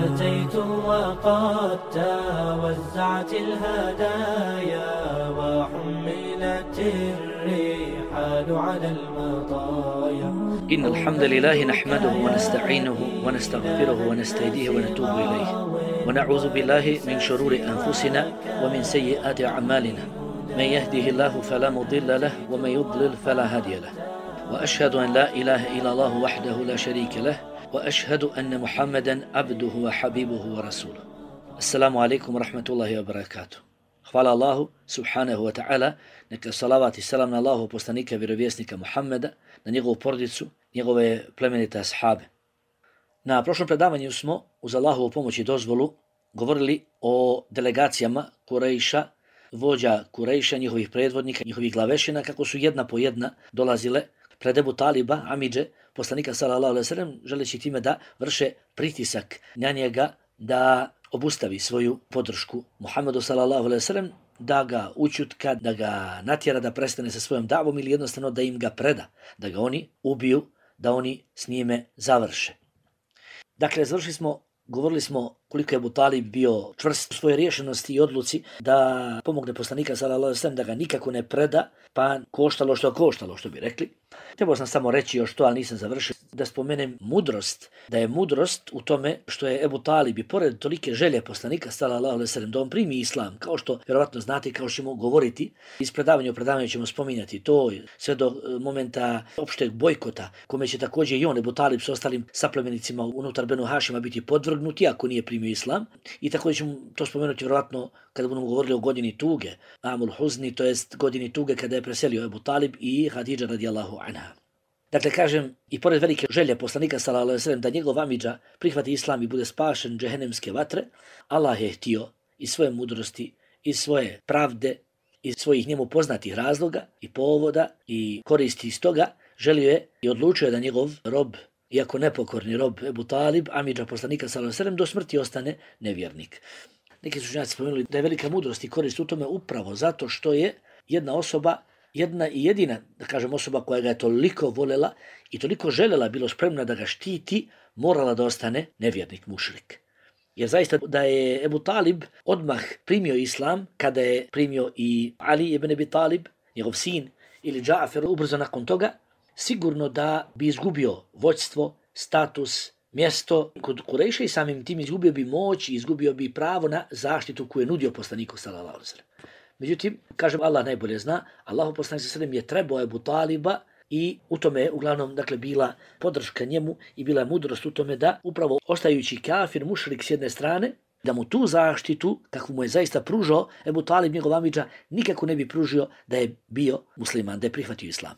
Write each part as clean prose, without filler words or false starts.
أتيت وقد توزعت الهدايا وحملت الرحال على المطايا. إن الحمد لله نحمده ونستعينه ونستغفره ونستهديه ونتوب إليه ونعوذ بالله من شرور أنفسنا ومن سيئات أعمالنا. من يهده الله فلا مضل له ومن يضلل فلا هادي له. وأشهد أن لا إله إلا الله وحده لا شريك له وأشهد أن محمدا عبده وحبيبه ورسوله. السلام عليكم ورحمة الله وبركاته. Hvala Allahu subhanahu wa ta'ala, neka salavat i salam na Allahu poslanika vjerovjesnika Muhammeda, na njegovu porodicu, njegove plemenite ashabe. Na prošlom predavanju smo uz Allahovu pomoć i dozvolu govorili o delegacijama Kurejša, vođa Kurejša, njihovih predvodnika, njihovih glavešina, kako su jedna po jedna dolazile pred Ebu Taliba, amidže, poslanika sallallahu alejhi ve sellem, želeći time da vrše pritisak na njega da obustavi svoju podršku Muhammedu sallallahu alejhi ve sellem, da ga učutka, da ga natjera da prestane sa svojom davom ili jednostavno da im ga preda, da ga oni ubiju, da oni s njime završe. Dakle, govorili smo koliko je Ebu Talib bio čvrst u svojoj rješenosti i odluci da pomogne poslanika sallallahu alejhi ve sellem, da ga nikako ne preda, pa koštalo što bi rekli. Trebao sam samo reći još to, ali nisam završio, da spomenem mudrost, da je mudrost u tome što je Ebu Talib i pored tolike želje poslanika sallallahu alejhi ve sellem da on primi islam, kao što vjerovatno znate, kao što ćemo govoriti, iz predavanja u predavanju ćemo spominjati to, sve do momenta opšteg bojkota, kome će također i on, Ebu Talib, s ostalim saplemenicima unutar Benu Hašima biti podvrgnuti ako nije primio islam. I također ćemo to spomenuti vjerovatno kada budemo govorili o godini tuge, Amul Huzni, to jest godini tuge kada je preselio Ebu Talib i Hadidža radijallahu anha. Dakle, kažem, i pored velike želje poslanika sallallahu alejhi ve sellem da njegov amidža prihvati islam i bude spašen džehennemske vatre, Allah je htio iz svoje mudrosti, iz svoje pravde, iz svojih njemu poznatih razloga i povoda i koristi iz toga, želio je i odlučio da njegov rob, iako nepokorni rob Ebu Talib, amidža poslanika sallallahu alejhi ve sellem, do smrti ostane nevjernik. Neki su učenjaci spomenuli da je velika mudrost i korist u tome upravo zato što je jedna osoba, jedna i jedina, da kažem, osoba koja ga je toliko volela i toliko želela, bilo spremna da ga štiti, morala da ostane nevjernik, mušrik. Jer zaista da je Ebu Talib odmah primio islam, kada je primio i Ali ibn Abi Talib, njegov sin, ili Džafer ubrzo nakon toga, sigurno da bi izgubio vođstvo, status, mjesto kod Kurejša i samim tim izgubio bi moć i izgubio bi pravo na zaštitu koju je nudio poslaniku sallallahu alejhi ve sellem. Međutim, kažem, Allah najbolje zna, Allahu poslanik sallallahu alejhi ve sellem je trebao Ebu Taliba i u tome je uglavnom bila podrška njemu i bila je mudrost u tome da upravo ostajući kafir, mušrik s jedne strane, da mu tu zaštitu, kakvu mu je zaista pružao Ebu Talib, njegov amidža, nikako ne bi pružio da je bio musliman, da je prihvatio islam.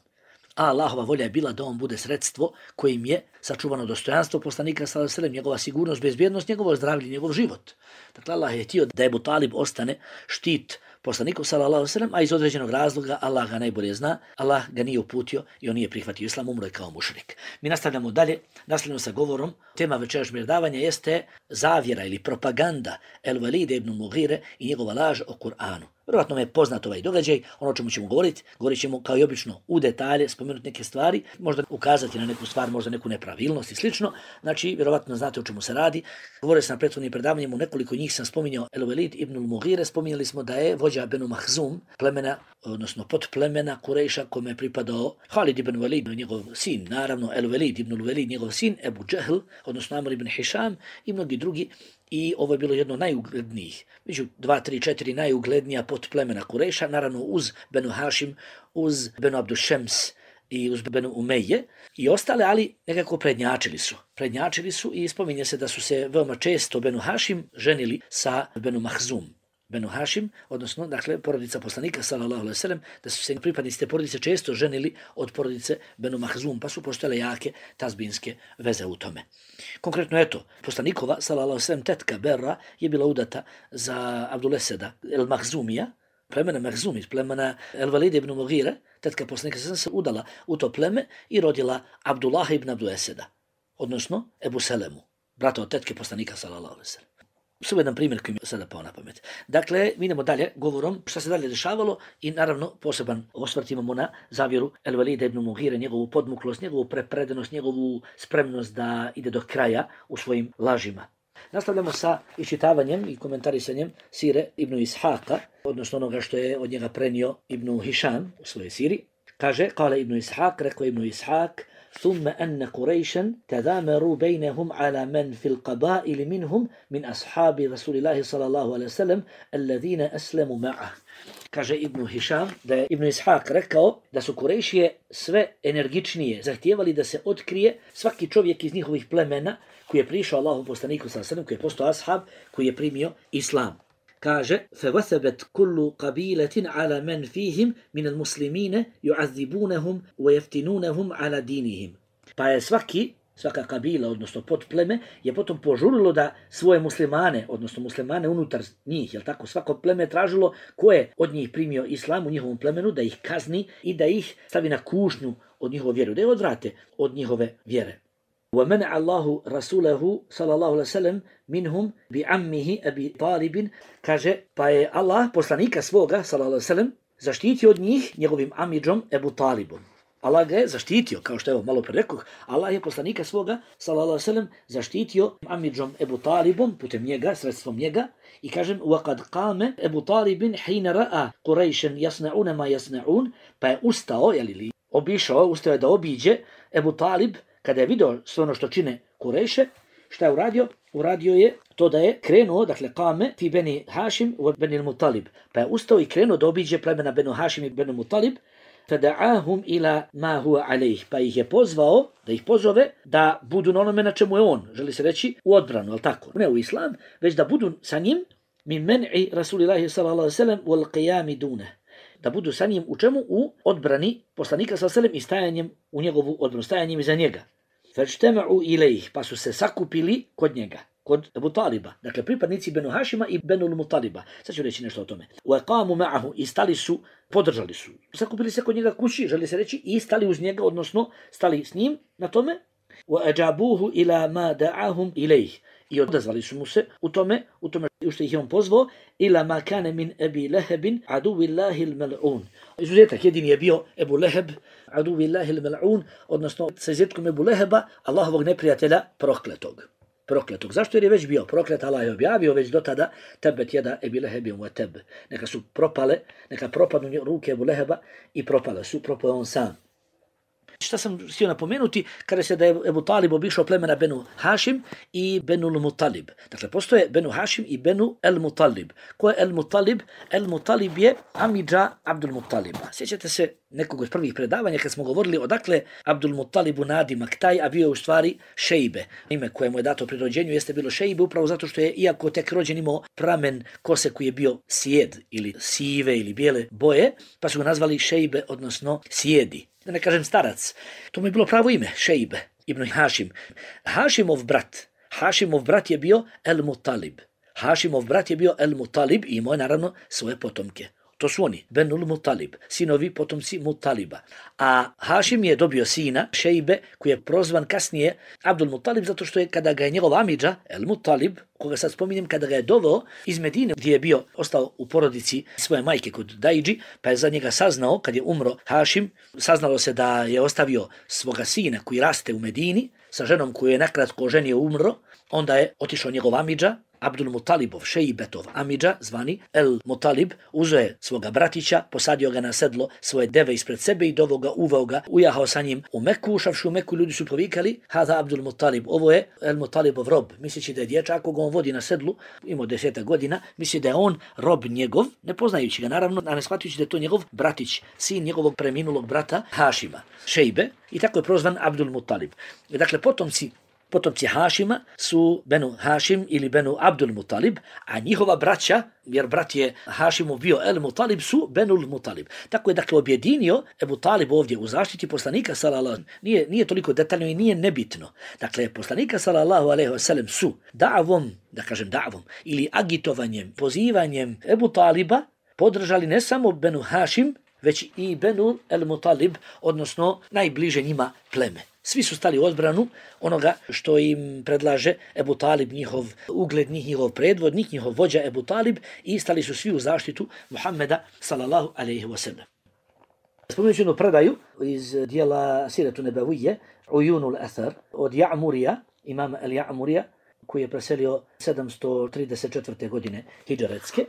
A Allahova volja je bila da on bude sredstvo kojim je sačuvano dostojanstvo poslanika sallallahu alejhi ve sellem, njegova sigurnost, bezbjednost, njegovo zdravlje, njegov život. Dakle, Allah je htio da Ebu Talib ostane štit poslaniku sallallahu alejhi ve sellem, a iz određenog razloga, Allah ga najbolje zna, Allah ga nije uputio i on nije prihvatio islam, umro je kao mušrik. Mi nastavljamo dalje, nastavljamo sa govorom. Tema večerašnjeg predavanja jeste zavjera ili propaganda El Velida ibn Mughire i njegova laž o Kur'anu. Vjerovatno me je poznat ovaj događaj, ono o čemu ćemo govoriti, govorit ćemo kao i obično u detalje, spomenuti neke stvari, možda ukazati na neku stvar, možda neku nepravilnost i slično. Znači, vjerovatno znate o čemu se radi. Govorio sam na prethodnim predavanjima, u nekoliko njih sam spominjao El Velid ibn Mughire, spominjali smo da je vođa Benu Mahzum, plemena, odnosno podplemena Kurejša kome je pripadao Halid ibn Velid, njegov sin, naravno El Velid ibn Velid, njegov sin, Ebu Džehl, odnosno Amr ibn Hišam i mnogi drugi. I ovo je bilo jedno najuglednijih, među 2, 3, 4 najuglednija podplemena Kurejša, naravno uz Benu Hašim, uz Benu Abdušems i uz Benu Umeje i ostale, ali nekako prednjačili su i spominje se da su se veoma često Benu Hašim ženili sa Benu Mahzum. Benu Hašim, odnosno, dakle, porodica poslanika, sallallahu alejhi ve sellem, da su se pripadnici te porodice često ženili od porodice Benu Mahzum, pa su postojale jake tazbinske veze u tome. Konkretno, eto, poslanikova, sallallahu alejhi ve sellem, tetka Berra je bila udata za Abduleseda el Mahzumija, plemena Mahzum iz plemena El Velida ibn Mughire, tetka poslanika se udala u to pleme i rodila Abdullah ibn Abduleseda, odnosno Ebu Selemu, brata od tetke poslanika, sallallahu alejhi ve sellem. Samo jedan primjer koji mi sada pao na pamet. Dakle, mi idemo dalje govorom šta se dalje dešavalo i naravno poseban osvrt imamo na zavjeru El Velida ibn Mughire, njegovu podmuklost, njegovu prepredenost, njegovu spremnost da ide do kraja u svojim lažima. Nastavljamo sa iščitavanjem i komentarisanjem sire Ibn Ishaqa, odnosno onoga što je od njega prenio Ibn Hišam u svojoj siri. Kaže, kale Ibn Ishaq, rekao Ibn Ishaq, ثم أن قريشا تذامروا بينهم على من في القبائل منهم من أصحاب رسول الله صلى الله عليه وسلم الذين أسلموا معه. Kaže Ibn Hišam da je Ibn Ishaq rekao da su Kurejšije sve energičnije zahtijevali da se otkrije svaki čovjek iz njihovih plemena koji je prišao Allahu poslaniku sallallahu alejhi ve sellem, koji je postao ashab, koji je primio islam. Kaže, فَوَثَبَتْ كُلُّ قَبِيلَةٍ عَلَى مَنْ فِيهِمْ مِنَ الْمُسْلِمِينَ يُعَذِّبُونَهُمْ وَيَفْتِنُونَهُمْ عَلَى دِينِهِمْ. Pa je svaka kabila, odnosno podpleme, je potom požurilo da svoje muslimane, odnosno muslimane unutar njih, jel tako, svako pleme tražilo ko je od njih primio islam u njihovom plemenu, da ih kazni i da ih stavi na kušnju od njihove vjere, da je odvrate od njihove vjere. وَمَنَعَ اللَّهُ رَسُولَهُ صَلَى اللَّهُ عَلَيْهِ وَسَلَّمْ مِنْهُمْ بِعَمِّهِ أَبِي طَالِبٍ. Kaže, pa je Allah poslanika svoga, sallallahu alejhi ve sellem, zaštitio od njih njegovim amidžom Ebu Talibom. Allah ga je zaštitio, kao što je malo pre rekoh, Allah je poslanika svoga, sallallahu alejhi ve sellem, zaštitio amidžom Ebu Talibom, putem njega, sredstvom njega, i kažem, وَقَدْ قَامَ Ebu Talibin حِينَ رَأَ قُرَيْشًا يَصْنَعُونَ مَا يَصْنَعُونَ. Pa je ustao, ustao je da obiđe Ebu Talib, kada je vidio sve ono što čine Kurejše. Šta je uradio? Uradio je to da je krenuo, dakle, kame fi beni Hašim u beni Mutalib. Pa je ustao i krenuo da obiđe plemena benu Hašim i benu Mutalib. Fada'ahum ila ma huwa alayh. Pa ih je pozvao, da ih pozove da budu na onome na čemu je on, želi se reći u odbranu, al tako, ne u islam, već da budu sa njim min men'i Rasulillahi sallallahu alejhi ve sellem wal qiyam dune. Da budu sa njim u čemu? U odbrani poslanika sallallahu alejhi ve sellem i stajanjem u njegovu odbranu, stajanjem iza njega. Fajtama'u ilayh, pa su se sakupili kod njega, kod Ebu Taliba, dakle pripadnici Benu Hašima i Benu Mutaliba. Sad ću reći nešto o tome. Waqamu ma'ahu, i stali su, podržali su. Sakupili se kod njega kući, želi se reći, i stali uz njega, odnosno stali s njim na tome. Wa ila ma da'ahum ilayh, i odazvali su mu se u tome što ih je on pozvao, ila ma kana min Abi Lahabin aduvillahi al-mal'un. Izuzetak jedini je bio Ebu Leheb, aduvillahi al-mal'un, odnosno sa izuzetkom Ebu Leheba, Allahovog neprijatelja prokletog. Zašto? Jer je već bio proklet, Allah je objavio već do tada, tebet jeda Ebi Lehebin wa teb. Neka su propale, neka propadnu ruke Ebu Leheba i propao on sam. Šta sam htio napomenuti, kada se da je Ebu Talib obišao plemena Benu Hašim i Benu Mutalib. Dakle, postoje Benu Hašim i Benu El Mutalib. Ko je El Mutalib? El Mutalib je amidža Abdul Mutaliba. Sjećate se nekog od prvih predavanja kad smo govorili odakle Abdul Mutalibu nadimak taj, a bio je u stvari Šejbe. Ime koje mu je dato pri rođenju jeste bilo Šejbe, upravo zato što je, iako tek rođen, imao pramen kose koji je bio sjed ili sive ili bijele boje, pa su ga nazvali Šejbe, odnosno sjedi. Da ne kažem starac. To mu je bilo pravo ime, Šejbe ibn Hašim. Hašimov brat je bio El Mutalib. I imao je naravno svoje potomke. To su oni, Benul Mutalib, sinovi potomci Mutaliba. A Hašim je dobio sina, Šejbe, koji je prozvan kasnije Abdul Mutalib, zato što je kada ga je njegov amidža, El Mutalib, koga sad spominjem, kada ga je doveo iz Medine, gdje je bio ostao u porodici svoje majke kod Dajđi, pa je za njega saznao, kad je umro Hašim, saznalo se da je ostavio svoga sina koji raste u Medini, sa ženom koju je nakratko oženio umro, onda je otišao njegov amidža, Abdul Mutalibov, Šejbetov amidža, zvani El Mutalib, uzeo je svoga bratića, posadio ga na sedlo svoje deve ispred sebe i uveo ga, ujahao sa njim u Meku. Ušavši u Meku, ljudi su povikali, Hada Abdul Mutalib, ovo je El Mutalibov rob, misleći da je dječak, ako ga on vodi na sedlu, imao 10 godina, misli da je on rob njegov, ne poznajući ga naravno, a ne shvatujući da je to njegov bratić, sin njegovog preminulog brata Hašima, Šejbe, i tako je prozvan Abdul Mutalib. Dakle, potomci Hašima su Benu Hašim ili Benu Abdul Mutalib, a njihova braća, jer brat je Hašimov bio El Mutalib, su Benul Mutalib. Tako je, dakle, objedinio Ebu Talib ovdje u zaštiti poslanika sallallahu. Nije toliko detaljno i nije nebitno. Dakle, poslanika sallallahu alejhi ve sellem su da'vom ili agitovanjem, pozivanjem Ebu Taliba podržali ne samo Benu Hašim, već i Benu El Mutalib, odnosno najbliže njima pleme. Svi su stali u odbranu onoga što im predlaže Ebu Talib, njihov uglednik, njihov predvodnik, njihov vođa Ebu Talib, i stali su svi u zaštitu Muhammeda sallallahu alejhi ve sellem. Spomenući jednu predaju iz dijela Siretu Nebavije, Ujunul Athar, od Ja'murija, imama El Ja'murija, koji je preselio 734. godine hidžretske,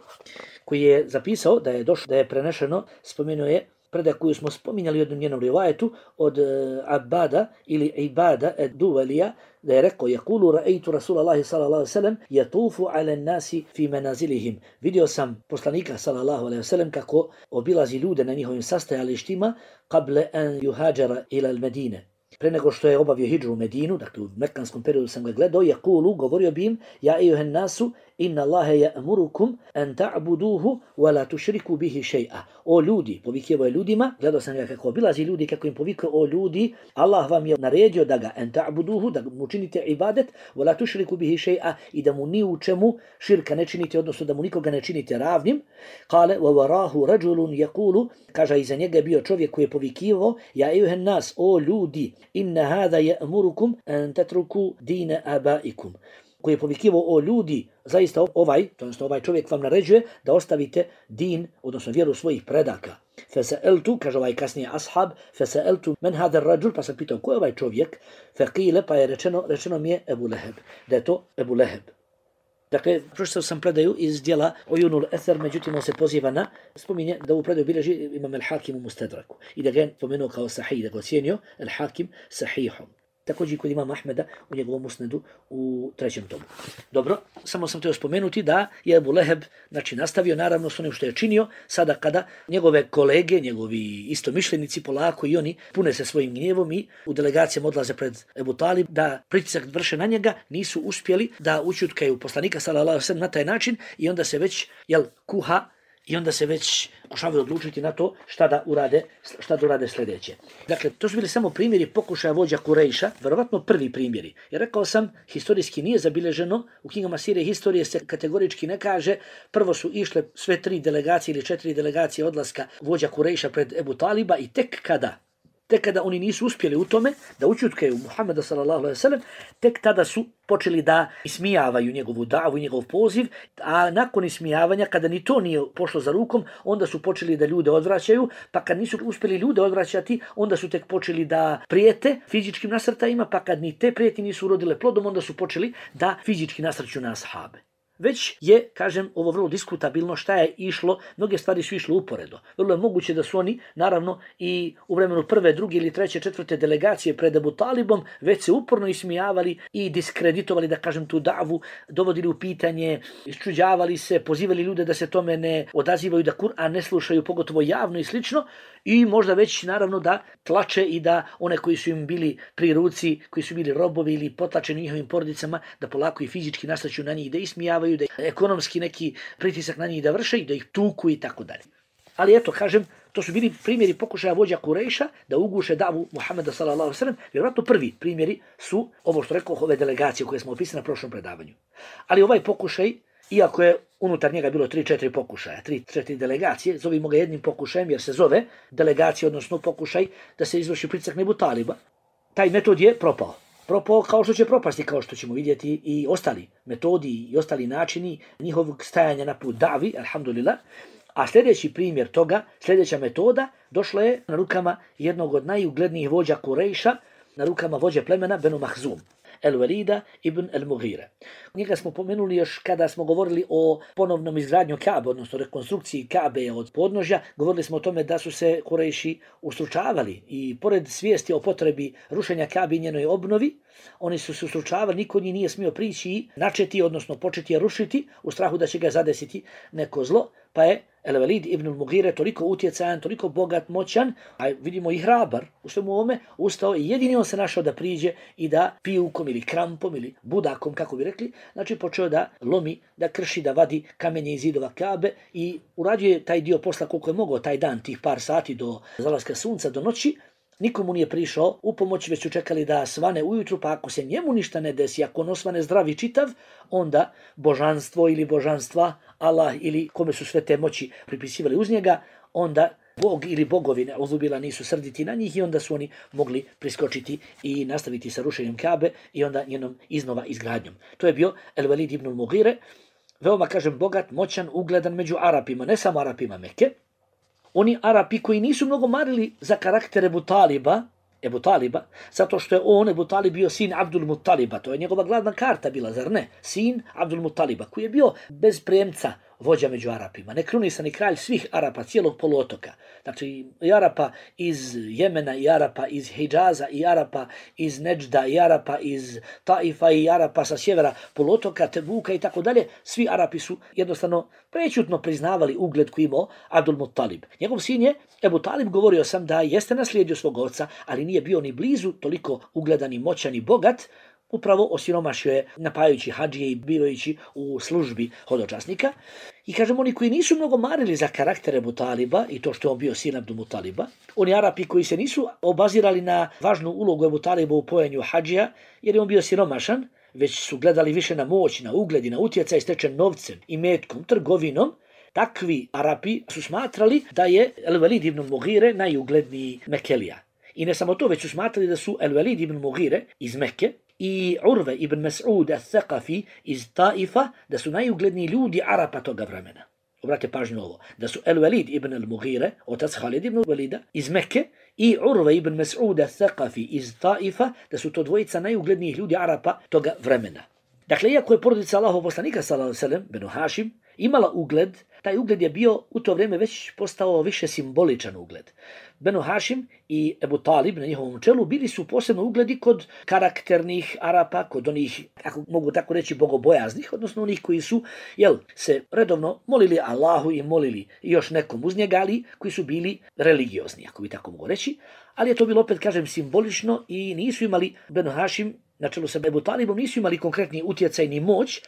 koji je zapisao da je prenešeno, spomenuo je predaj koju smo spominjali u jednom njenom rivajetu od Abada ili Ibada Duvalija, da je rekao: "Yaqulu ra'aytu Rasulallahi sallallahu alejhi ve sellem yatufu 'ala an-nasi fi manazilihim." Vidio sam poslanika sallallahu alejhi ve sellem kako obilazi ljude na njihovim sastajalištima qabla an yuhajara ila al-Medine. Pre nego što je obavio hidžu u Medinu, dakle u mekanskom periodu sam ga gledao, yaqulu, govorio bi im: "Ja ejuhan nasu, inna Allahe ya'murukum an ta'buduhu wa la tushriku bihi shay'a." O ljudi, povikivao je ljudima, gledao sam ga kako obilazi ljudi, kako im povikao: "O ljudi, Allah vam je naredio da ga an ta'buduhu, da mu činite ibadet, wa la tushriku bihi shay'a, i da mu ni u čemu širka ne činite, odnosno da mu nikoga ne činite ravnim." Kale: "Wa warahu rajulun yaqulu." Kaže, iza njega je bio čovjek koji je povikivao: "Ja ejuhan nas, o ljudi, inna hada ya'murukum an tatruku dina abaikum." Koji je povikivao: "O ljudi, zaista ovaj čovjek vam naređuje da ostavite din, odnosno vjeru svojih predaka." Fasa'altu, kaže ovaj kasnije ashab, fasa'altu men hada ar-rajul, pa sam pitao ko je ovaj čovjek, faqila, pa je rečeno mi je Ebu Leheb, da je to Ebu Leheb. Dakle, pročitao sam predaju iz djela Uyunul Ether, međutim on se poziva na, spominje da u predaju bilježi Imam al-Hakim u Mustadraku i da ga je pomenuo kao sahih, da ga ocijenio al-Hakim sahihom. Također kod imama Ahmeda u njegovom musnedu u 3. tomu. Dobro, samo sam htio spomenuti da je Ebu Leheb nastavio naravno s onim što je činio, sada kada njegove kolege, njegovi istomišljenici polako i oni pune se svojim gnjevom i u delegacijama odlaze pred Ebu Talib da pritisak vrše na njega, nisu uspjeli da ućutkaju poslanika sallallahu alejhi ve sellem na taj način i onda se već kuha i onda se već pokušavaju odlučiti na to šta da urade sljedeće. Dakle, to su bili samo primjeri pokušaja vođa Kurejša, verovatno prvi primjeri. Jer rekao sam, historijski nije zabilježeno, u knjigama Sire historije se kategorički ne kaže, prvo su išle sve 3 delegacije ili 4 delegacije odlaska vođa Kurejša pred Ebu Taliba i tek kada oni nisu uspjeli u tome da ućutkaju Muhameda sallallahu alejhi ve sellem, tek tada su počeli da ismijavaju njegovu davu i njegov poziv, a nakon ismijavanja, kada ni to nije pošlo za rukom, onda su počeli da ljude odvraćaju, pa kad nisu uspjeli ljude odvraćati, onda su tek počeli da prijete fizičkim nasrtajima, pa kad ni te prijetnje nisu urodile plodom, onda su počeli da fizički nasrću na ashabe. Već je, kažem, ovo vrlo diskutabilno šta je išlo, mnoge stvari su išle uporedo. Vrlo je moguće da su oni, naravno, i u vremenu 1., 2. ili 3., 4. delegacije pred Ebu Talibom već se uporno ismijavali i diskreditovali, da kažem, tu davu, dovodili u pitanje, iščuđavali se, pozivali ljude da se tome ne odazivaju, da Kur'an ne slušaju, pogotovo javno i slično, i možda već, naravno, da tlače i da one koji su im bili pri ruci, koji su bili robovi ili potlačeni njihovim porodicama, da polako i fizički nasrću na njih, da ismijavaju, da ekonomski neki pritisak na njih da vrše i da ih tuku i tako dalje. Ali eto, kažem, to su bili primjeri pokušaja vođa Kurejša da uguše davu Muhameda sallallahu alejhi ve sellem. Vjerojatno prvi primjeri su ovo što rekao, ove delegacije koje smo opisali na prošlom predavanju. Ali ovaj pokušaj, iako je unutar njega bilo 3-4 pokušaja, 3-4 delegacije, zovimo ga jednim pokušajem jer se zove delegacija, odnosno pokušaj da se izvrši pritisak na Ebu Taliba. Taj metod je propao kao što će propasti, kao što ćemo vidjeti i ostali metodi i ostali načini njihovog stajanja na put davi, alhamdulillah. A sljedeći primjer toga, sljedeća metoda, došla je na rukama jednog od najuglednijih vođa Kurejša, na rukama vođe plemena Benu Mahzum, El-Walida ibn El-Mughira. Njega smo pomenuli još kada smo govorili o ponovnom izgradnju Kabe, odnosno rekonstrukciji Kabe od podnožja. Govorili smo o tome da su se Kurejši ustručavali i pored svijesti o potrebi rušenja Kabe i njenoj obnovi, oni su se ustručavali, niko njih nije smio prići i načeti, odnosno početi je rušiti u strahu da će ga zadesiti neko zlo, pa je El-Walid ibn Al-Mughira toliko utjecajan, toliko bogat, moćan, a vidimo i hrabar u svemu ovome, ustao i jedini on se našao da priđe i da pijukom ili krampom ili budakom, kako bi rekli, znači počeo da lomi, da krši, da vadi kamenje iz zidova Kabe i urađuje taj dio posla koliko je mogao taj dan, tih par sati do zalaska sunca, do noći. Nikomu nije prišao u pomoć, već su čekali da svane ujutru, pa ako se njemu ništa ne desi, ako on osvane zdrav i čitav, onda božanstvo ili božanstva, Allah ili kome su sve te moći pripisivali uz njega, onda Bog ili bogovi neuzubila nisu srditi na njih i onda su oni mogli priskočiti i nastaviti sa rušenjem Kabe i onda njenom iznova izgradnjom. To je bio El-Walid ibn Al-Mughira, veoma, kažem, bogat, moćan, ugledan među Arapima, ne samo Arapima Mekke. Oni Arapi koji nisu mnogo marili za karakter Ebu Taliba, Ebu Taliba, zato što je on, Ebu Talib, bio sin Abdul Muttaliba, to je njegova glavna karta bila, zar ne? Sin Abdul Muttaliba, koji je bio bez premca vođa među Arapima, nekrunisani kralj svih Arapa, cijelog poluotoka. Znači, i Arapa iz Jemena, i Arapa iz Hidžaza, i Arapa iz Neđda, i Arapa iz Taifa, i Arapa sa sjevera poluotoka, Tebuka i tako dalje. Svi Arapi su jednostavno prećutno priznavali ugled koji imao Abdul Muttalib. Njegov sin je, Ebu Talib, govorio sam da jeste naslijedio svog oca, ali nije bio ni blizu toliko ugledan i moćan i bogat, upravo osiromašio je napajajući hadžije i bivajući u službi hodočasnika. I kažemo, oni koji nisu mnogo marili za karakter Ebu Taliba i to što je on bio sin Abdul Mutaliba, oni Arapi koji se nisu obazirali na važnu ulogu Ebu Taliba u pojenju hadžija, jer je on bio siromašan, već su gledali više na moć, na ugled i na utjecaj stečen novcem i metkom, trgovinom, takvi Arapi su smatrali da je El-Velid ibn Mughire najugledniji Mekelija. I ne samo to, već su smatrali da su El-Velid ibn Mughire iz Mekke i Urve ibn Mas'ud al-Thaqafi iz Taifa, da su najugledniji ljudi Arapa toga vremena. Obratite pažnju ovo, da su El-Velid ibn al-Mughire, otac Khalid ibn Velida, iz Mekke i Urve ibn Mas'ud al-Thaqafi iz Taifa, da su to dvojica najuglednijih ljudi Arapa toga vremena. Dakle, iako je porodica Allahov poslanika sallallahu alejhi ve sellem, Benu Hašim, imala ugled, taj ugled je bio u to vrijeme već postao više simboličan ugled. Benu Hašim i Ebu Talib na njihovom čelu bili su posebno ugledi kod karakternih Arapa, kod onih, ako mogu tako reći, bogobojaznih, odnosno onih koji su se redovno molili Allahu i molili još nekom uz njega, ali koji su bili religiozni, ako bi tako mogu reći. Ali je to bilo, opet kažem, simbolično i nisu imali, Benu Hašim na čelu sa Ebu Talibom, nisu imali konkretni utjecaj ni moć,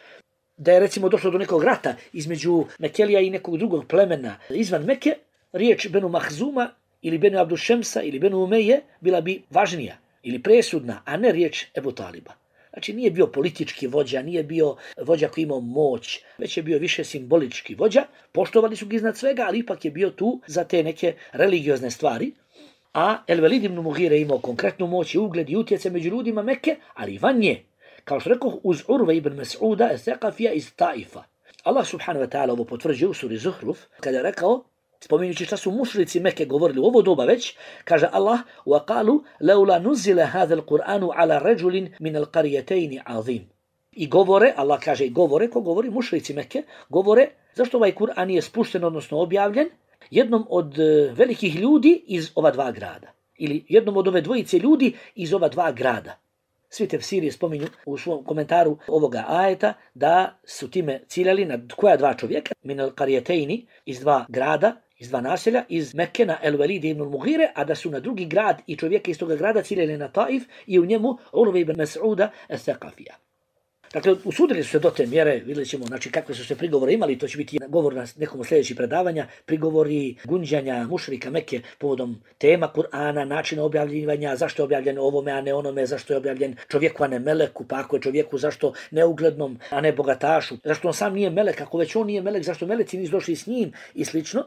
da je recimo došlo do nekog rata između Mekelija i nekog drugog plemena izvan Mekke, riječ Benu Mahzuma ili Benu Abdušemsa ili Benu Umeje bila bi važnija ili presudna, a ne riječ Ebu Taliba. Znači nije bio politički vođa, nije bio vođa koji imao moć, već je bio više simbolički vođa. Poštovali su ga iznad svega, ali ipak je bio tu za te neke religiozne stvari. A El-Velid ibn Mughire imao konkretnu moć i ugled i utjecaj među ljudima Mekke, ali i van nje. Kao što rekao, uz Urve ibn Mas'uda al-Thaqafija iz Taifa. Allah subhanahu wa ta'ala ovo potvrđuje u suri Zuhruf, kada je rekao, spominjući šta su mušrici Mekke govorili u ovo doba već, kaže Allah, وَقَالُوا لَوْلَا نُزِّلَ هَذَا الْقُرْآنُ عَلَى رَجُلٍ مِنَ الْقَرْيَتَيْنِ عَظِيمٍ. I govore, Allah kaže i govore, ko govori? Mušrici Mekke govore, zašto ovaj Kur'an nije spušten, odnosno objavljen, jednom od velikih ljudi iz ova dva grada. Ili jednom od ove dvojice ljudi iz ova dva grada. Svi tefsiri spominju u svom komentaru ovoga ajeta da su time ciljali na koja dva čovjeka, min al-Qaryateini, iz dva grada, iz dva naselja, iz Mekke na El-Velid ibn Mughire, a da su na drugi grad i čovjeka iz toga grada ciljali na Taif i u njemu Urve ibn Mas'uda al-Thaqafija. Dakle, usudili su se do te mjere, vidjet ćemo kakve su se prigovore imali, to će biti govor na nekom sljedećih predavanja, prigovori gunđanja mušrika Mekke povodom tema Kur'ana, načina objavljivanja, zašto je objavljen ovome, a ne onome, zašto je objavljen čovjeku, a ne meleku, pa ako je čovjeku, zašto neuglednom, a ne bogatašu, zašto on sam nije melek, ako već on nije melek, zašto meleci nisu došli s njim i slično.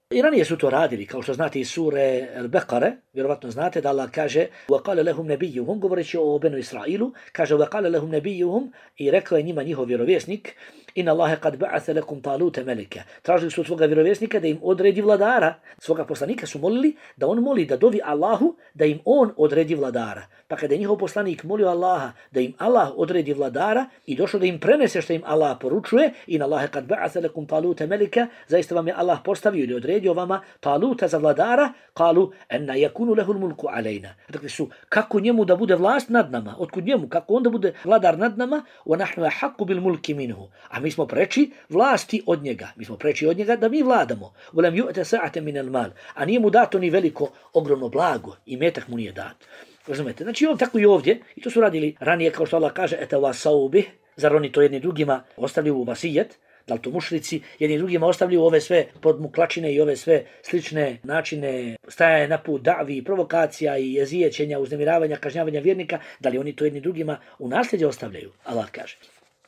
I ranije su to radili, kao što znate iz sure Al-Baqare, vjerovatno znate da Allah kaže وَقَالَ لَهُمْ نَبِيُّهُمْ, govoreći o Benu Israilu, kaže وَقَالَ لَهُمْ نَبِيُّهُمْ i rekao je njima njihov vjerovjesnik Inna Allahe kad ba'atha lakum talute melike. Tražili su od svoga vjerovjesnika da im odredi vladara. Svoga poslanika su molili da on moli da dovi Allahu da im on odredi vladara. Pa kada je njihov poslanik molio Allaha da im Allah odredi vladara i došlo da im prenese što im Allah poručuje, Inna Allahe kad ba'atha lakum talute melike, zaista vam je Allah postavio ili odredio vama taluta za vladara, kalu enna yakunu lahu mulku alejna. Dakle su, kako njemu da bude vlast nad nama, otkud njemu, kako on da bude vladar nad nama, wa nahnu ahaqqu bil mulki minhu. A mi smo preči vlasti od njega. Mi smo preči od njega da mi vladamo. Volem ju'te sa'ate min al-mal. A nije mu dato ni veliko, ogromno blago. I metak mu nije dat. Razumete? Znači on tako i ovdje. I to su radili ranije, kao što Allah kaže, etawasau bih. Zar oni to jedni drugima ostavljaju u vasijet? Da li to mušrici jedni drugima ostavljaju ove sve podmuklačine i ove sve slične načine stajanja na put davi, provokacija i jezijećenja, uznemiravanja, kažnjavanja vjernika? Da li oni to jedni drugima u nasljeđe ostavljaju? Allah kaže.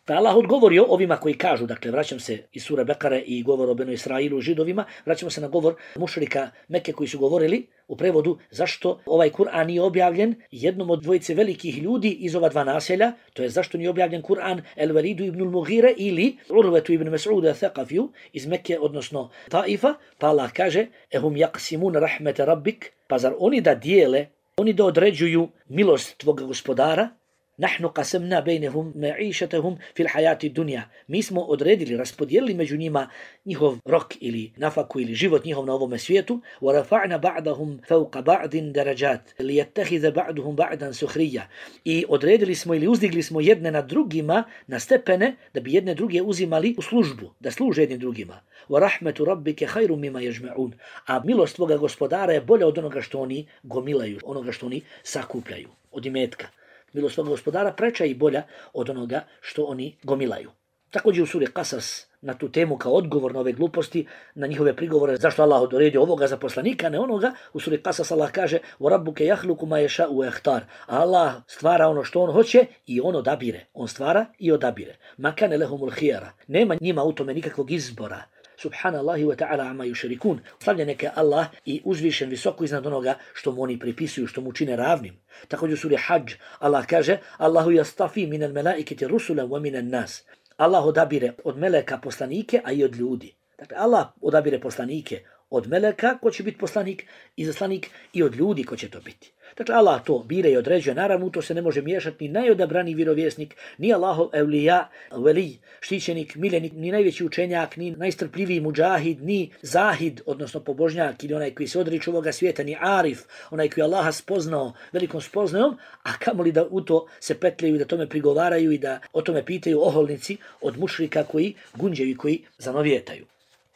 Pa Allah odgovorio ovima koji kažu, dakle vraćam se iz sure Bekare i govor o Benu Israilu židovima, vraćamo se na govor mušrika Mekke koji su govorili u prevodu zašto ovaj Kur'an nije objavljen jednom od dvojice velikih ljudi iz ova dva naselja, to je zašto nije objavljen Kur'an El-Velidu ibn Mughire ili Urvetu ibn Mas'uda al-Thaqafiju iz Mekke, odnosno Taifa, pa Allah kaže ehum yaqsimun rahmete rabbik, pa zar oni da dijele oni da određuju milost tvoga gospodara. Nahnu qasamna bainahum ma'ishatahum fil hayati dunya. Mi smo odredili, raspodijelili među njima njihov rok ili nafaku ili život njihov na ovom svijetu. Wa rafa'na ba'dahum fawqa ba'din darajat liyattakhidha ba'duhum ba'dan sukhriya. I odredili smo ili uzdigli smo jedne nad drugima na stepene da bi jedne druge uzimali u službu, da služe jednim drugima. Wa rahmatu rabbika khairum mimma yajma'un. A milost tvoga gospodara je bolja od onoga što oni gomilaju, onoga što oni sakupljaju, od imetka. Milost svog gospodara preča i bolja od onoga što oni gomilaju. Također u suri Qasas na tu temu kao odgovor na ove gluposti, na njihove prigovore zašto Allah odredio ovoga za poslanika, ne onoga, u suri Qasas Allah kaže وَرَبُّكَ يَخْلُقُ مَا يَشَاءُ وَيَخْتَارُ. Allah stvara ono što on hoće i on odabire. On stvara i odabire. مَا كَانَ لَهُمُ الْخِيَرَ. Nema njima u tome nikakvog izbora. Subhanallahi wa ta'ala amma yushrikun. Slavljen neka Allah i uzvišen visoko iznad onoga što mu oni pripisuju, što mu čine ravnim. Također u suri Hadž Allah kaže Allahu yastafi minal malaikati rusulan wa minan nas. Allah odabire od meleka poslanike, a i od ljudi. Dakle, Allah odabire poslanike od meleka ko će biti poslanik, izaslanik, i od ljudi ko će to biti. Dakle, Allah to bira i određuje. Naravno, to se ne može miješati ni najodabrani vjerovjesnik, ni Allahov evlija, veli, štićenik, miljenik, ni najveći učenjak, ni najstrpljiviji muđahid, ni zahid, odnosno pobožnjak, ili onaj koji se odriče ovoga svijeta, ni arif, onaj koji Allaha spoznao velikom spoznajom, a kamoli da u to se petljaju i da tome prigovaraju i da o tome pitaju oholnici od mušrika koji gunđaju i koji zanovijetaju.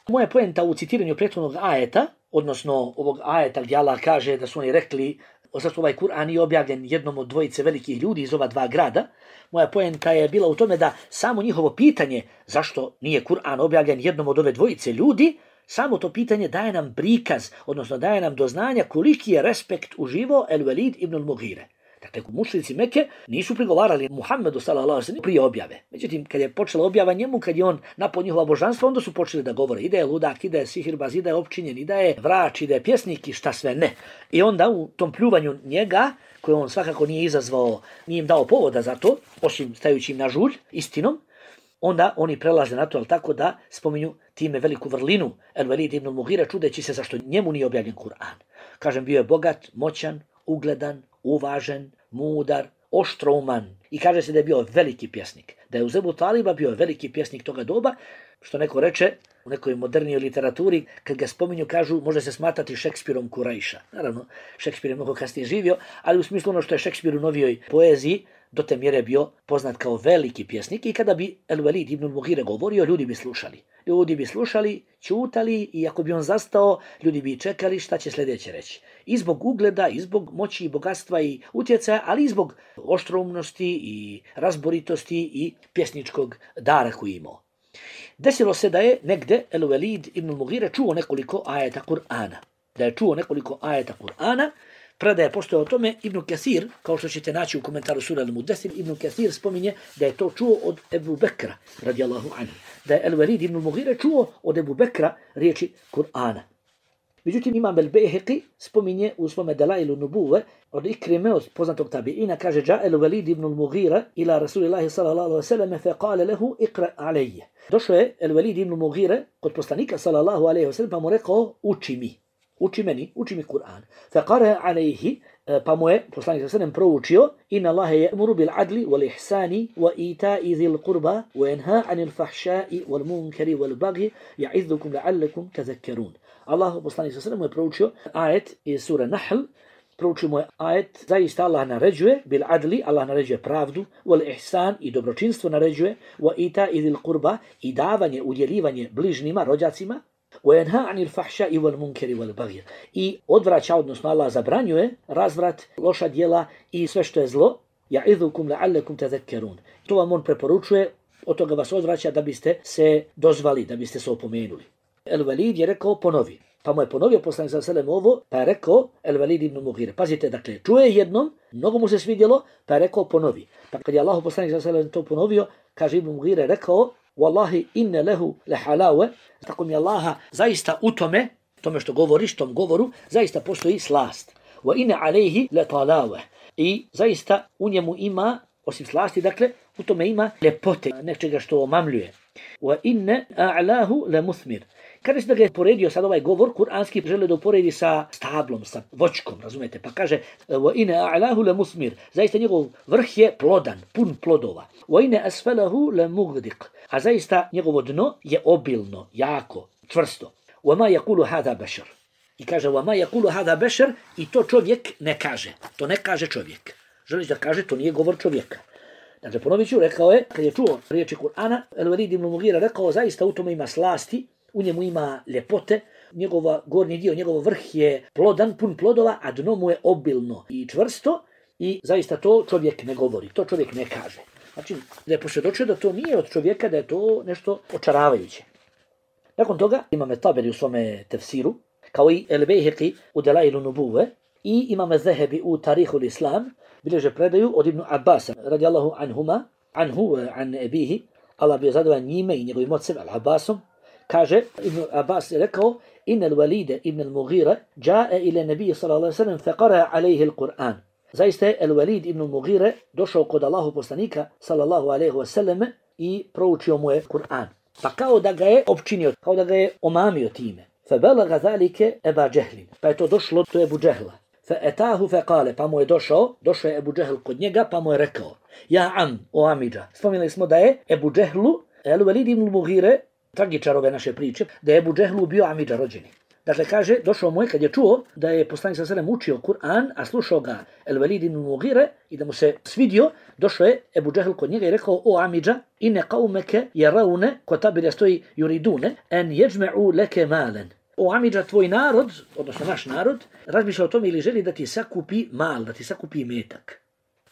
Moja poenta u citiranju prethodnog ajeta, odnosno ovog ajeta gdje Allah kaže da su oni rekli zašto ovaj Kur'an nije objavljen jednom od dvojice velikih ljudi iz ova dva grada, moja poenta je bila u tome da samo njihovo pitanje zašto nije Kur'an objavljen jednom od ove dvojice ljudi, samo to pitanje daje nam prikaz, odnosno daje nam do znanja koliki je respekt uživo El-Walid ibn al-Mughire. Dakle, mušrici Mekke nisu prigovarali Muhammedu sallallahu alejhi ve sellem prije objave. Međutim, kad je počela objava njemu, kad je on napao njihova božanstva, onda su počeli da govore i da je ludak, i da je sihirbaz, i da je opčinjen, i da je vrač, i da je pjesnik, i šta sve ne. I onda u tom pljuvanju njega, koje on svakako nije izazvao, nije im dao povoda za to, osim stajući im na žulj istinom, onda oni prelaze na to, ali tako da spominju time veliku vrlinu El-Walid ibn al-Mughire, čudeći se zašto njemu nije objavljen Kur'an. Kažem, bio je bogat, moćan, ugledan, uvažen, mudar, oštrouman. I kaže se da je bio veliki pjesnik. Da je uz Ebu Taliba bio veliki pjesnik toga doba, što neko reče u nekoj modernijoj literaturi, kad ga spominju, kažu, može se smatrati Šekspirom Kurajša. Naravno, Šekspir je mnogo kasnije živio, ali u smislu ono što je Šekspir u novijoj poeziji do te mjere bio poznat kao veliki pjesnik i kada bi El-Walid ibn al-Mughire govorio, ljudi bi slušali. Ljudi bi slušali, ćutali i ako bi on zastao, ljudi bi čekali šta će sljedeće reći. I zbog ugleda, i zbog moći, i bogatstva, i utjecaja, ali i zbog oštroumnosti, i razboritosti, i pjesničkog dara koji imao. Desilo se da je negde El-Walid ibn al-Mughire čuo nekoliko ajeta Kur'ana, Predaje postoje o tome Ibn Kathir, kao što ćete naći u komentaru sura Al-Mudaththir, Ibn Kathir spominje da je to čuo od Ebu Bekra, radijallahu anhu. Da je El-Walid ibn al-Mughire čuo od Ebu Bekra riječi Kur'ana. Međutim, Imam al-Bayhaqi spominje u svome Dalailu Nubuve od Ikrime, od poznatog tabiina, kaže ja El-Walid ibn al-Mughire ila Rasulillahi sallallahu alaihi wa sallam fa qala lahu iqra alayya. Došao je El-Walid ibn al-Mughire kod poslanika sallallahu alaihi wa sallam pa mu rekao uči mi Kur'an. Fa qara alayhi, pa mu je poslanik sallallahu alaihi wa sallam proučio inna Allaha ya'muru bil adli wal ihsani wa ita'i dhil qurba wa yanha 'anil fahsha'i wal munkari wal baghi ya'idhukum la'allakum tadhakkarun. Allah poslanik sallallahu alejhi ve sellem je proučio ajet iz sure Nahl, proučio mu je ajet zaista Allah naređuje bil adli, Allah naređuje pravdu, wal ihsan i dobročinstvo naređuje, wa ita'i dhil qurba i davanje, udjeljivanje bližnjima, rođacima, wa yanha 'anil fahsha'i wal munkari wal baghi i odvraća, odnosno Allah zabranjuje razvrat, loša djela i sve što je zlo, ya'idhukum la'allakum tadhakkarun. To vam on preporučuje, od toga vas odvraća da biste se dozvali, da biste se opomenuli. El-Walid je rekao ponovi. Pa mu je ponovio poslanik sallallahu alejhi ve sellem ovo, pa je rekao El-Walid ibn Mughire. Pazite, dakle, čuje jednom, mnogo mu se svidjelo, pa je rekao ponovi. Pa kad je Allah poslanik sallallahu alejhi ve sellem to ponovio, kaže Ibn Mughire rekao: "Wallahi inna lahu lahalawa." Tako mi Allaha zaista u tome što govoriš, tom govoru, zaista postoji slast. Wa inna alayhi la talawa. I zaista u njemu ima, osim slasti, dakle, U tome ima ljepote, nečega što omamljuje. Wa inna a'lahu la muthmir. Kada se da ga je poredio sad ovaj govor, kuranski žele da uporedi sa stablom, sa voćkom, razumete? Pa kaže, wa inna a'lahu la muthmir. Zaista njegov vrh je plodan, pun plodova. Wa inna asfalahu la mughdiq. A zaista njegovo dno je obilno, jako, čvrsto. Wa ma yaqulu hadha bashar. I kaže, wa ma yaqulu hadha bashar, i to čovjek ne kaže. To ne kaže čovjek. Želiš da kaže, to nije govor čovjeka. Dakle, ponovit ću, rekao je, kad je čuo riječi Kur'ana, Al-Walid ibn Mughira rekao, zaista u tome ima slasti, u njemu ima ljepote, njegova gornji dio, njegov vrh je plodan, pun plodova, a dno mu je obilno i čvrsto i zaista to čovjek ne govori, to čovjek ne kaže. Znači, da je posvjedočio da to nije od čovjeka, da je to nešto očaravajuće. Nakon toga imame Taberi u svome tefsiru, kao i El-Bejheqi u Delailu Nubuve i imame Zehebi u Tarihul Islam, bilježe predaju od Ibn Abbasa, radijallahu anhuma, an ebihi, Allah bio zadovoljan njime i njegovim ocem, Al-Abbasom, kaže, Ibn Abbas je rekao, inna al-Walid ibn al-Mughira ja'a ila nabiyyi sallallahu alejhi ve sellem fa qara'a alayhi al-Qur'an. Zaista je Al-Walid ibn al-Mughira došao kod Allahu poslanika sallallahu alejhi ve sellem i proučio mu je Kur'an. Pa kao da ga je opčinio, kao da ga je omamio time. Fa balagha zalika Aba Jahl. Pa je to došlo do Ebu Džehla. Fa atahu fa qala, pa mu je došao je Ebu Džehl kod njega, pa mu je rekao: "Ja am, o amidža." Spomenuli smo da je Ebu Džehlu, Al-Walid ibn al-Mughira, tragičar ove naše priče, da je Ebu Džehlu bio amidža rođeni. Dakle, kaže, došao mu je kad je čuo da je poslanik sallallahu alejhi ve sellem učio Kur'an, a slušao ga Al-Walid ibn al-Mughira i da mu se svidio, došao je Ebu Džehl kod njega i rekao: "O amidža, inne qaumaka yarawna", kod tabira stoji yuridune, "an yajma'u laka malan." O amidža, tvoj narod, odnosno naš narod, razmišlja o tome ili želi da ti sakupi mal, da ti sakupi metak.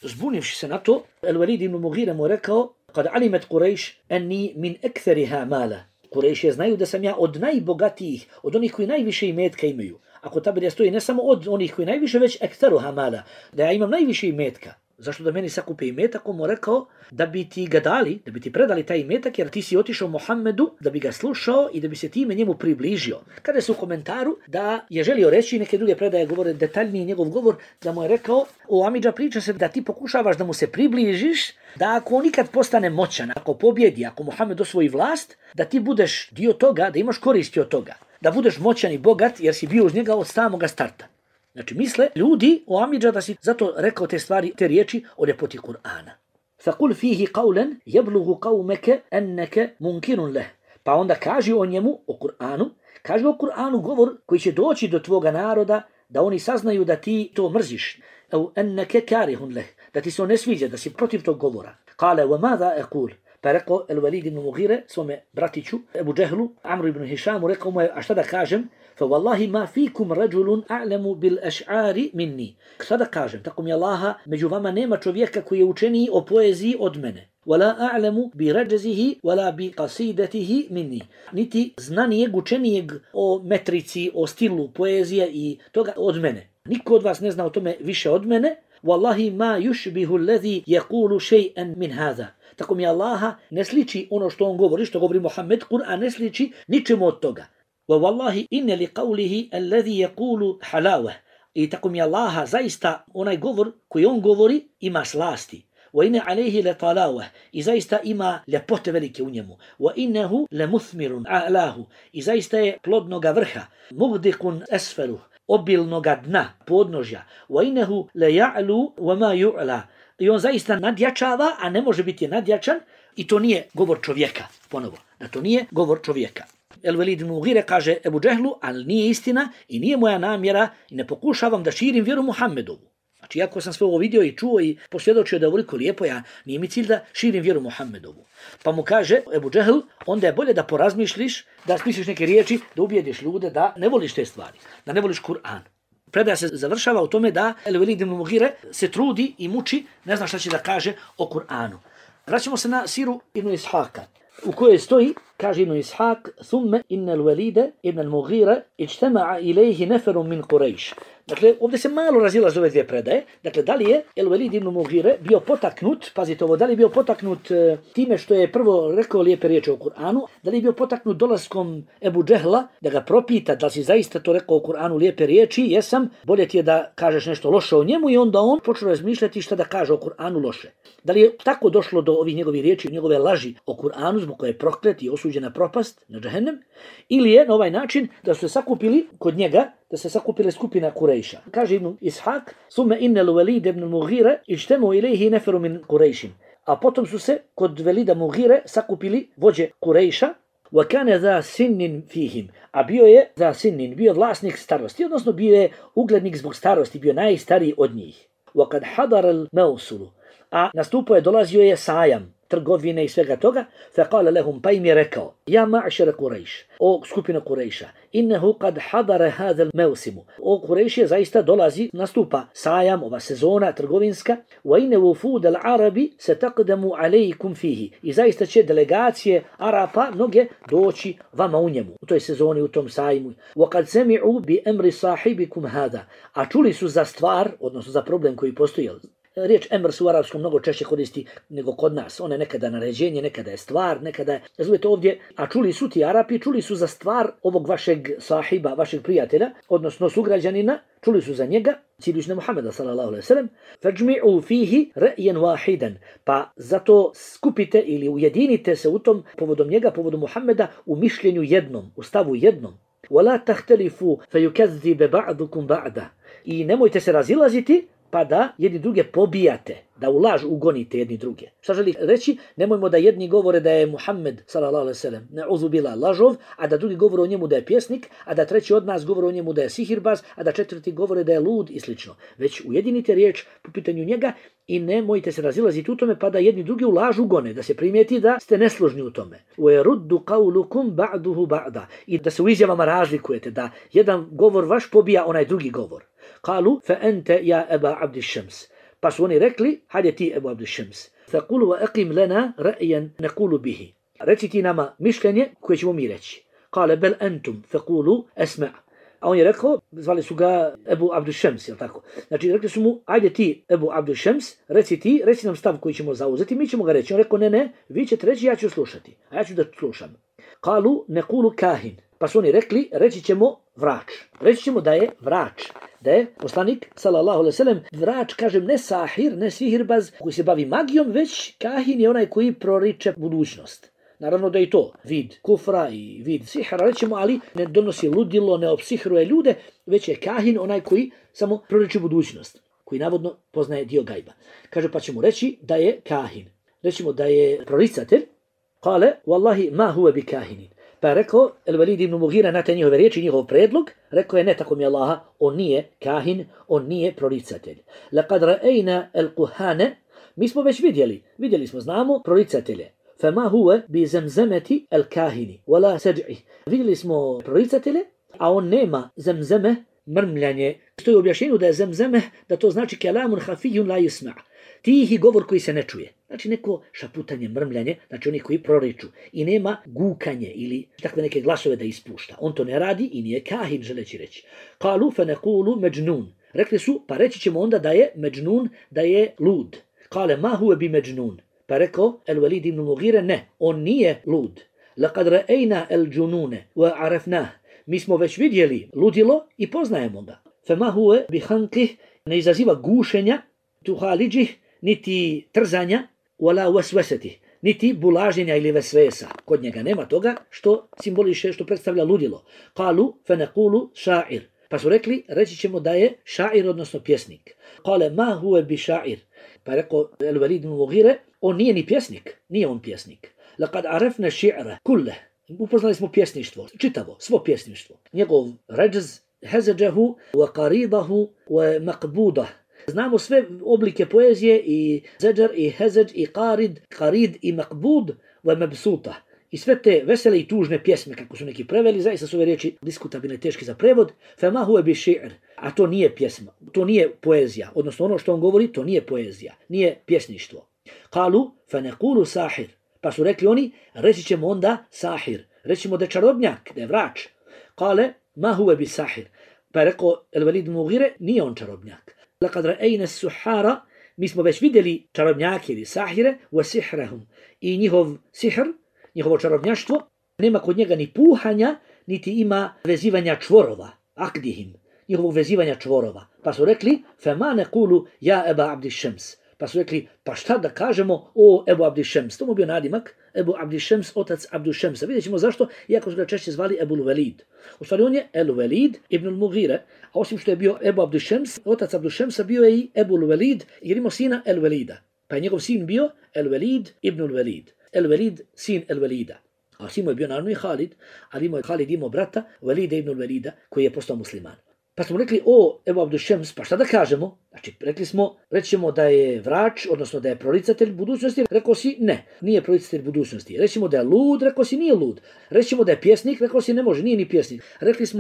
Zbunivši se na to, Al-Walid ibn Mughira mu rekao: "Kad alimet Quraysh anni min akthariha mala." Kurejšije znaju da sam ja od najbogatijih, od onih koji najviše imetka imaju. Ako tabir stoji ne samo od onih koji najviše, već ektaruha mala, da ja imam najviše imetka. Zašto da meni sakupe imetak? On mu rekao da bi ti ga dali, da bi ti predali taj imetak, jer ti si otišao Muhammedu da bi ga slušao i da bi se time njemu približio. Kada se u komentaru da je želio reći, neke druge predaje govore detaljniji njegov govor, da mu je rekao: "O amidža, priča se da ti pokušavaš da mu se približiš, da ako on nikad postane moćan, ako pobjedi, ako Muhammed osvoji vlast, da ti budeš dio toga, da imaš koristi od toga, da budeš moćan i bogat jer si bio uz njega od samoga starta." Znači, misle ljudi o amidža da si zato rekao te stvari, te riječi o ljepoti Kur'ana. فَقُلْ فِيهِ قَوْلًا يَبْلُغُ قَوْمَكَ أَنَّكَ مُنْكِرٌ لَهُ. Pa onda kaži o njemu, o Kur'anu govor koji će doći do tvoga naroda, da oni saznaju da ti to mrziš. أَوْ أَنَّكَ كَارِهٌ لَهُ. Da ti se on ne sviđa, da si protiv tog govora. قَالَ وَمَاذَا أَقُولُ. Pa rekao Al-Walid ibn Mughira svome bratiću, Ebu Džehlu, Amru ibn Hišamu, rekao mu je: "A šta da kažem? فَوَاللَّهِ مَا فِيكُمْ رَجُلٌ أَعْلَمُ بِالْأَشْعَارِ مِنِّي." Šta da kažem? Tako mi Allaha, među vama nema čovjeka koji je učeniji o poeziji od mene. وَلَا أَعْلَمُ بِرَجَزِهِ وَلَا بِقَصِيدَتِهِ مِنِّي. Niti znanijeg, učenijeg o metrici, o stilu poezije i toga od mene. Niko od vas ne zna o tome više od mene. وَاللَّهِ مَا يُشْبِهُ الَّذِي يَقُولُ شَيْئًا مِنْ هَذَا. Tako mi Allaha ne sliči ono što on govori, što govori Muhammed, Kur'an ne sliči ničemu od toga. وَوَاللَّهِ إِنَّ لِقَوْلِهِ الَّذِي يَقُولُ حَلَاوَهِ. I tako mi Allaha zaista onaj govor koji on govori ima slasti. وَإِنَّ عَلَيْهِ لَطَلَاوَهِ. I zaista ima ljepote velike u njemu. وَإِنَّهُ لَمُثْمِرٌ أَعْلَاهُ. I zaista je plodnoga vrha. مُغْدِقٌ أَسْفَلُهُ. Obilnoga dna, podnožja. وَإِنَّهُ لَيَعْلُو وَمَا يُعْلَى. I on zaista nadjačava, a ne može biti nadjačan, i to nije govor čovjeka. Ponovo, da to nije govor čovjeka. Al-Walid ibn Mughira kaže Ebu Džehlu: "Ali nije istina i nije moja namjera i ne pokušavam da širim vjeru Muhammedovu." Znači, iako sam sve ovo vidio i čuo i posvjedočio da je ovoliko lijepo, nije mi cilj da širim vjeru Muhammedovu. Pa mu kaže Ebu Džehl: "Onda je bolje da porazmišliš, da smisliš neke riječi, da ubijediš ljude da ne voliš te stvari, da ne voliš Kur'an." Predaja se završava u tome da Al-Walid ibn Mughira se trudi i muči, ne zna šta će da kaže o Kur'anu. Vraćamo se na siru Ibn Ishaka, u kojoj stoji, kaže Ibn Ishak: "Thumma inna al-Walida ibn al-Mughira ijtama'a ilayhi nafarun min Quraysh." Dakle, ovdje se malo razilaze ove dvije predaje. Dakle, da li je El-Velid ibn Mughire bio potaknut, pazite ovo, da li je bio potaknut time što je prvo rekao lijepe riječi o Kur'anu, da li je bio potaknut dolaskom Ebu Džehla da ga propita da li si zaista to rekao o Kur'anu lijepe riječi, jesam, bolje ti je da kažeš nešto loše o njemu, i onda on počeo razmišljati šta da kaže o Kur'anu loše. Da li je tako došlo do ovih njegovih riječi, njegove laži o Kur'anu zbog koje je proklet i osuđen na propast, na džehennem, ili je na ovaj način da su se sakupili kod njega, da se sakupile skupina Kurejša. Kaže Ibn Ishaq, sume innel Velid ibn Mughire ištemu ilaihi neferu min Kurejšin. A potom su se kod Velida Mughire sakupili vođe Kurejša, wa kane za sinnin fihim, a bio je za sinnin, bio vlasnik starosti, odnosno bio je uglednik zbog starosti, bio najstariji od njih. Wa kad hadar al mausulu, a nastupo je, dolazio je sajam, trgovine i svega toga, faqala lahum, pa im je rekao, ja ma'šara Kurejš, o skupina Kurejša, innehu kad hadara hadal mevsimu, o Kurejš je zaista dolazi, nastupa sajam, ova sezona trgovinska, wa inne wufud al-Arabi se taqdamu alejkum fihi, i zaista će delegacije Arapa mnoge doći vama u njemu, u toj sezoni, u tom sajmu. Wa kad sami'u bi emri sahibikum hada, a čuli su za stvar, odnosno za problem koji postoji. Riječ emr se u arapskom mnogo češće koristi nego kod nas. Ona je nekada naređenje, nekada je stvar, nekada je... Razumijete ovdje, a čuli su ti Arapi, čuli su za stvar ovog vašeg sahiba, vašeg prijatelja, odnosno sugrađanina, čuli su za njega, ciljući na Muhammeda sallallahu alejhi ve sellem, fajmi'u fihi ra'yan wahidan, pa zato skupite ili ujedinite se u tom povodom njega, povodom Muhammeda, u mišljenju jednom, u stavu jednom. Wala tahtalifu fayukazziba ba'dukum ba'da. I nemojte se razilaziti, pa da jedni druge pobijate, da u laž ugonite jedni druge. Šta želi reći? Nemojmo da jedni govore da je Muhammed sallallahu alejhi ve sellem ne'udhu billah lažov, a da drugi govore o njemu da je pjesnik, a da treći od nas govore o njemu da je sihirbaz, a da četvrti govore da je lud i slično. Već ujedinite riječ po pitanju njega i nemojte se razilaziti u tome pa da jedni drugi u laž ugone, da se primijeti da ste nesložni u tome. وَيَرُدُّ قَوْلُكُمْ بَعْدُهُ بَعْدًا, i da se u izjavama razlikujete, da jedan govor vaš pobija onaj drugi govor. قالوا فأنت يا أبا عبد الشمس, pa su oni rekli, hajde ti Ebu Abd Shams, فقولوا وأقم لنا رأيا نقول به, reci ti nama mišljenje koje ćemo mi reći. قال بل أنتم فقولوا أسمع, a on je rekao, zvali su ga Ebu Abd Shams, jel tako? Znači rekli su mu, ajde ti Ebu Abd Shams, reci nam stav koji ćemo zauzeti, mi ćemo ga reći. On rekao, ne, vi ćete reći, ja ću slušati, a ja ću da slušam. قالوا نقول كاهن, pa su oni rekli, reći ćemo vrač. Reći ćemo da je vrač. Da je poslanik, sallallahu alejhi ve sellem, vrač, kažem, ne sahir, ne sihirbaz koji se bavi magijom, već kahin je onaj koji proriče budućnost. Naravno da je to vid kufra i vid sihra, rećemo, ali ne donosi ludilo, ne opsihruje ljude, već je kahin onaj koji samo proriče budućnost, koji navodno poznaje dio gajba. Kaže, pa ćemo reći da je kahin. Rećemo da je proricatelj. Kale, wallahi ma huwa bi kahinin. Pa je rekao El-Velid ibn Mughira na te njihove riječi, njihov predlog, rekao je, ne, tako mi Allaha, on nije kahin, on nije proricatelj. Laqad ra'ayna al-kuhane, mi smo već vidjeli smo, znamo proricatelje. Fama huwa bi zamzamati al-kahini, wala saj'i. Vidjeli smo proricatelje, a on nema zamzame, mrmljanje. Stoji u objašnjenju da je zamzame, da to znači kalamun khafiyun la yusma'. Tihi govor koji se ne čuje. Znači neko šaputanje, mrmljanje, znači oni koji proriču. I nema gukanje ili takve neke glasove da ispušta. On to ne radi i nije kahin, želeći reći. Kalu fe nekulu međnun. Rekli su, pa reći ćemo onda da je međnun, da je lud. Kale ma huve bi međnun. Pa rekao El-Velid ibn Mughire, ne, on nije lud. Laqad ra'ayna el-džunune wa arafnah. Mi smo već vidjeli ludilo i poznajemo ga. Fe ma huve bi hankih, ne izaziva gušenja, tuhaliđih, niti trzanja, wala waswasati, niti bulaženja ili vesvesa. Kod njega nema toga što simboliše, što predstavlja ludilo. Kalu fe nekulu ša'ir. Pa su rekli, reći ćemo da je ša'ir, odnosno pjesnik. Kale ma huve bi ša'ir. Pa je rekao El-Velid ibn Mughire, on nije ni pjesnik, nije on pjesnik. Laqad arafna ši'ra kulle. Upoznali smo pjesništvo, čitavo, svo pjesništvo. Njegov ređz, hezeđahu, wa qaridahu, wa maqbudah. Znamo sve oblike poezije i zeđar i hezeđ i qarid i maqbud wa mabsuta. I sve te vesele i tužne pjesme, kako su neki preveli, zaista su ove riječi diskutabilne, teški za prevod. Fama huwa bi ši'r. A to nije pjesma, to nije poezija. Odnosno ono što on govori, to nije poezija, nije pjesništvo. Kalu fa nekulu sahir. Pa su rekli oni, reći ćemo onda sahir. Reći ćemo da je čarobnjak, da je vrač. Kale ma huwa bi sahir. Pa je rekao El Velid ibn Mughire, nije on čarobnjak. Laqad ra'ayna as-suhara, mi smo već vidjeli čarobnjake ili sahire, wa sihrahum, i njihov sihr, njihovo čarobnjaštvo, nema kod njega ni puhanja, niti ima vezivanja čvorova, akdihim, njihovog vezivanja čvorova. Pa su rekli, fema nekulu ja Eba Abdi Šems. Pa su rekli, pa šta da kažemo o Ebu Abdi Šems? To mu bio nadimak, Ebu Abdi Šems, otac Abdu Šemsa. Vidjet ćemo zašto, iako su ga češće zvali Ebul Velid. U stvari on je El Velid ibn Mughire, a osim što je bio Ebu Abdi Šems, otac Abdu Šemsa bio je i Ebul Velid, jer imao sina El Velida. Pa je njegov sin bio El Velid ibn Velid. El Velid, sin El Velida. A sin mu je bio naravno i Halid, ali Halid imao brata Velida ibn Velida, koji je postao musliman. Pa smo rekli, o Ebu Abdu Šems, pa šta da kažemo? Znači, reći ćemo da je vrač, odnosno da je proricatelj budućnosti, rekao si ne, nije proricatelj budućnosti. Reći ćemo da je lud, rekao si nije lud. Reći ćemo da je pjesnik, rekao si ne može, nije ni pjesnik.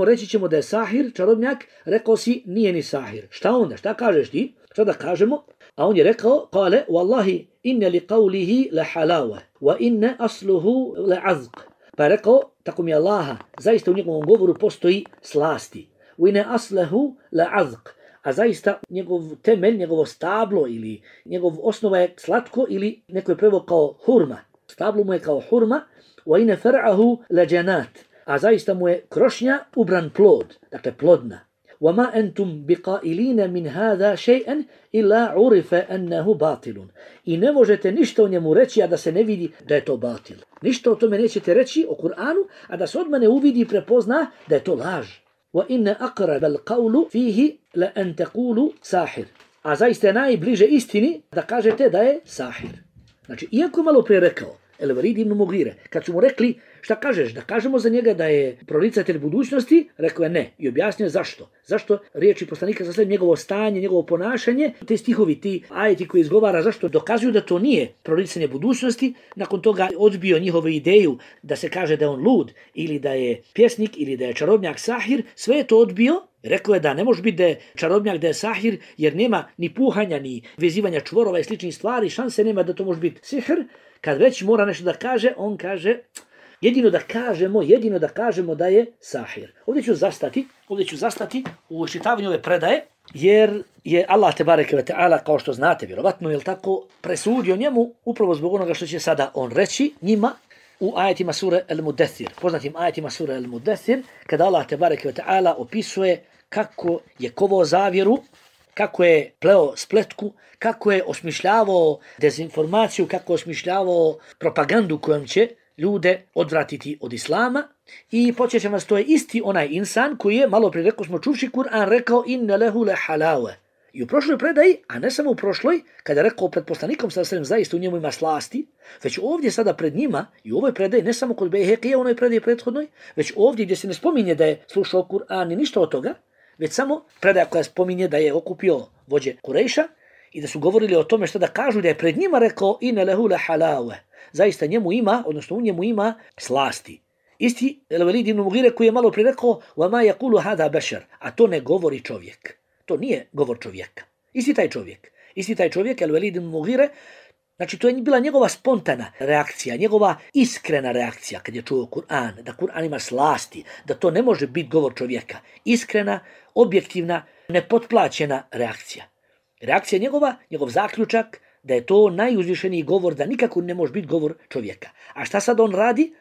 Reći ćemo da je sahir, čarobnjak, rekao si nije ni sahir. Šta onda, šta kažeš ti? Šta da kažemo? A on je rekao, kale, wallahi, inne li qavlihi la halawa, wa inne asluhu la azq. Pa je rekao, tako mi Allaha, zaista u njegovom govoru postoji slasti. Uine aslehu la azq, a zaista njegov temelj, njegovo stablo ili njegov osnova je slatko ili neko je preveo kao hurma. Stablo mu je kao hurma, uine far'ahu la janat, a zaista mu je krošnja ubran plod, dakle plodna. وما أنتم بقائلين من هذا شيئا إلا عرف أنه باطل. I ne možete ništa o njemu reći, a da se ne vidi da je to batil. Ništa o tome nećete reći o Kur'anu, a da se od mene uvidi i prepozna da je to laž. وَإِنَّ أَقْرَبَ الْقَوْلُ فِيهِ لَأَنْ تَقُولُ سَاحِرٌ. A zaista je najbliže istini da kažete da je sahir. Znači, iako malo prije rekao El Velid ibn Mughire, kad su mu rekli šta kažeš, da kažemo za njega da je proricatelj budućnosti, rekao je ne i objasnio zašto. Zašto riječi poslanika sa slijedom njegovo stanje, njegovo ponašanje, te stihovi, ti ajeti koji izgovara, zašto dokazuju da to nije proricanje budućnosti, nakon toga odbio njihovu ideju da se kaže da je on lud ili da je pjesnik ili da je čarobnjak sahir, sve je to odbio. Rekao je da ne može biti da je čarobnjak, da je sahir, jer nema ni puhanja, ni vezivanja čvorova i sličnih stvari, šanse nema da to može biti sihr. Kad već mora nešto da kaže, on kaže, jedino da kažemo da je sahir. Ovdje ću zastati u iščitavanju ove predaje, jer je Allah tebareke ve ta'ala, kao što znate, vjerovatno, je tako, presudio njemu upravo zbog onoga što će sada on reći njima u ajetima sure Al-Mudathir, poznatim ajetima sure Al-Mudathir, kada Allah tebareke ve ta'ala opisuje kako je kovao zavjeru, kako je pleo spletku, kako je osmišljavao dezinformaciju, kako je osmišljavao propagandu kojom će ljude odvratiti od islama. I podsjećam vas, to je isti onaj insan koji je, malo prije rekao smo čuvši Kur'an, rekao inne lehu le halave. I u prošloj predaji, a ne samo u prošloj, kada je rekao pred poslanikom sallallahu zaista u njemu ima slasti, već ovdje sada pred njima, i u ovoj predaji, ne samo kod Bejhekija, u onoj predaji prethodnoj, već ovdje gdje se ne spominje da je slušao Kur'an i ništa od toga, već samo predaja koja spominje da je okupio vođe Kurejša i da su govorili o tome što da kažu, da je pred njima rekao inne lehu le halave. Zaista njemu ima, odnosno u njemu ima slasti. Isti El Velid ibn Mughire koji je malo prije rekao وَمَا يَقُولُ هَذَا بَشَرٌ, a to ne govori čovjek. To nije govor čovjeka. Isti taj čovjek, El Velid ibn Mughire, znači to je bila njegova spontana reakcija, njegova iskrena reakcija kad je čuo Kur'an, da Kur'an ima slasti, da to ne može biti govor čovjeka. Iskrena, objektivna, nepotplaćena reakcija. Reakcija njegova, njegov zaključak, da je to najuzvišeniji govor, da nikako ne može biti govor čovjeka. A šta sad on radi?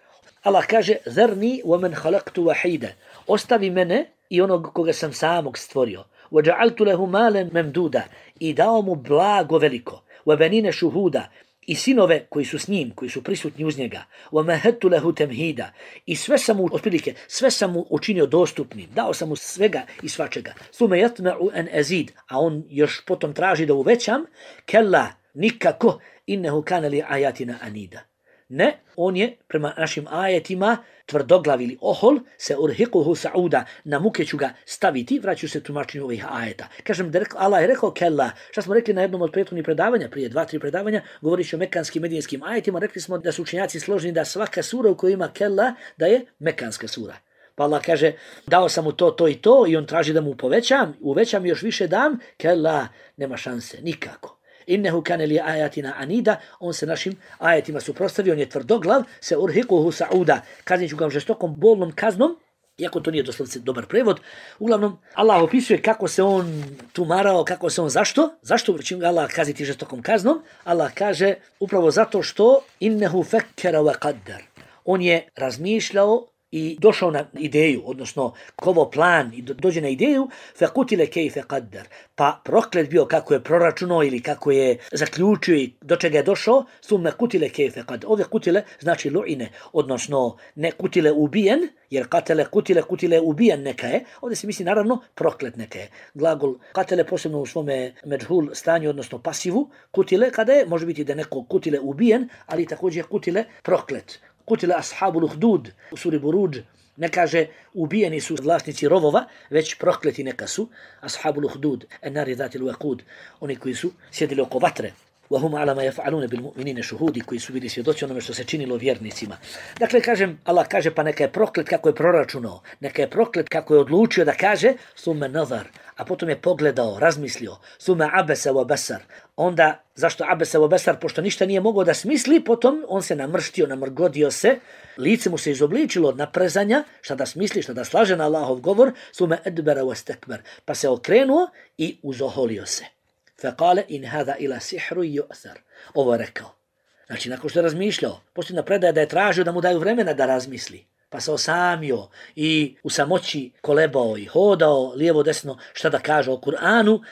Allah kaže, zerni wa men halaktu wahida. Ostavi mene i onog koga sam samog stvorio. وَجَعَلْتُ لَهُ مَالًا مَمْدُودًا. I dao mu blago veliko. وَبَنِينَ شُهُودًا. I sinove koji su s njim, koji su prisutni uz njega. وَمَهَدْتُ لَهُ تَمْهِيدًا. I sve sam mu učinio dostupnim. Dao sam mu svega i svačega. ثُمَ يَطْمَعُ أَنْ أَزِيدَ. A on još potom traži da uvećam. كَلَّا, nikako. إِنَّهُ كَانَ لِآيَاتِنَا أَنِيدًا. Ne, on je prema našim ajetima tvrdoglav ili ohol, se urhiquhu sa'uda, na muke ću ga staviti, vraću se tumačenju ovih ajeta. Kažem da Allah je rekao kella, šta smo rekli na jednom od prethodnih predavanja, prije 2-3 predavanja, govorići o mekanskim medijinskim ajetima, rekli smo da su učenjaci složeni da svaka sura u kojoj ima kella, da je mekanska sura. Pa Allah kaže, dao sam mu to i to i on traži da mu uvećam i još više dam, kella, nema šanse, nikako. Innehu kane li ajatina anida, on se našim ajetima suprotstavio, on je tvrdoglav, se urhiquhu sa'uda, kaznit ću ga žestokom bolnom kaznom, Iako to nije doslovce dobar prevod, uglavnom Allah opisuje kako se on tumarao, kako se on zašto će ga Allah kazniti žestokom kaznom. Allah kaže upravo zato što innehu fekkera wa qaddar. On je razmišljao i došao na ideju, odnosno kovo plan i dođe na ideju, fekutile kejfe qaddar. Pa proklet bio kako je proračunao ili kako je zaključio i do čega je došao, summe kutile kejfe qaddar. Ove kutile znači lu'ine, odnosno ne kutile ubijen, jer kutile ubijen neka je. Ovdje se misli naravno proklet neka je. Glagol katele posebno u svome međhul stanju, odnosno pasivu, kutile kada je, može biti da neko kutile ubijen, ali također kutile proklet. Kutile ashabul uhdud u suri Buruđ ne kaže ubijeni su vlasnici rovova, već prokleti neka su ashabul uhdud, enari zatil waqud, oni koji su sjedili oko vatre. وَهُمْ عَلَى مَا يَفْعَلُونَ بِالْمُؤْمِنِينَ شُهُودِ koji su bili svjedoci onome što se činilo vjernicima. Dakle, Allah kaže pa neka je proklet kako je proračunao, neka je proklet kako je odlučio da kaže, ثُمَّ نَظَرْ, a potom je pogledao, razmislio, ثُمَّ عَبَسَ وَبَسَرْ. Onda, zašto abese wa besar? Pošto ništa nije mogao da smisli, potom on se namrštio, namrgodio se, lice mu se izobličilo od naprezanja, šta da smisli, šta da slaže na Allahov govor, ثُمَّ أَدْبَرَ وَاسْتَكْبَرَ. Pa se okrenuo i uzoholio se. فَقَالَ إِنْ هَذَا إِلَا سِحْرُ يُؤْثَرُ. Ovo je rekao. Znači, nakon što je razmišljao, posljedna predaja da je tražio da mu daju vremena da razmisli. Pa se osamio i u samoći kolebao i hodao lijevo desno šta da kaže o Kur'anu,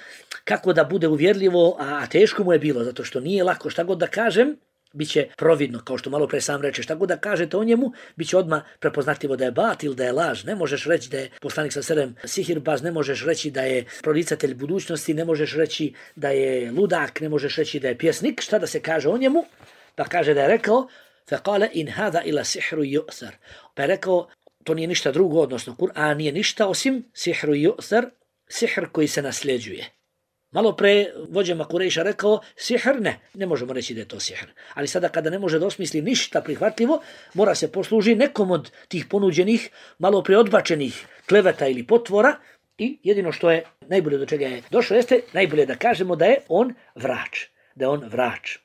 kako da bude uvjerljivo, a teško mu je bilo, zato što nije lako šta god da kažem, bit će providno, kao što malo pre sam reče, šta god da kažete o njemu, bit će odmah prepoznatljivo da je batil, da je laž. Ne možeš reći da je poslanik sa selem sihirbaz, ne možeš reći da je proricatelj budućnosti, ne možeš reći da je ludak, ne možeš reći da je pjesnik. Šta da se kaže o njemu? Pa kaže da je rekao, فَقَالَ إِنْ هَذَا إِلَا سِحْرُ يُؤْثَرُ. Pa je rekao, to nije ništa drugo, odnosno Kur'an nije ništa osim sihru yu'thar, sihr koji se nasljeđuje. Malo pre vođama Kurejša rekao, sihr ne možemo reći da je to sihr. Ali sada kada ne može da osmisli ništa prihvatljivo, mora se posluži nekom od tih ponuđenih, malo pre odbačenih kleveta ili potvora i jedino što je najbolje do čega je došlo jeste, najbolje da kažemo da je on vrač.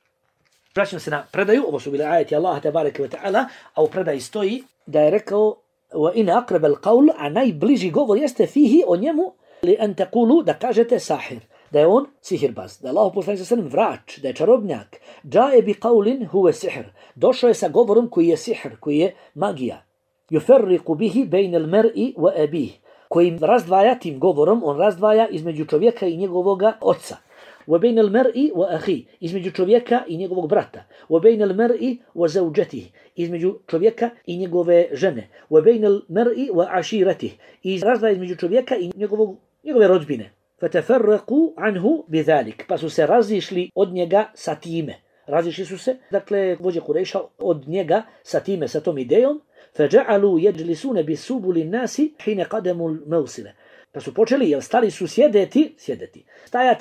Vraćamo se na predaju, ovo su bile ajeti Allaha tebareke ve ta'ala, a u predaji stoji da je rekao وَإِنَ أَقْرَبَ الْقَوْلُ, a najbliži govor jeste fihi o njemu, لِأَنْ تَقُولُ, da kažete sahir, da je on sihirbaz, da je Allah poslanik sallallahu alejhi ve sellem vrač, da je čarobnjak. Džae bi qaulin huwa sihr, došao je sa govorom koji je sihr, koji je magija. Yufarriqu bihi bayna al-mar'i wa abih, koji razdvaja tim govorom, on razdvaja između čovjeka i njegovoga oca. وبين المرء وأخيه, između čovjeka i njegovog brata. وبين المرء وزوجته, između čovjeka i njegove žene. وبين المرء وعشيرته, i razdvaja između čovjeka i njegove rodbine. فَتَفَرَّقُوا عَنْهُ بِذَلِكَ, pa su se razišli od njega sa time. Razišli su se, dakle, vođe Kurejša od njega sa time, sa tom idejom. فَجَعَلُوا يَجْلِسُونَ بِسُبُلِ النَّاسِ حِينَ قَدَمُوا الْمَوْسِلَ. Pa su počeli, jer stali su sjedeti,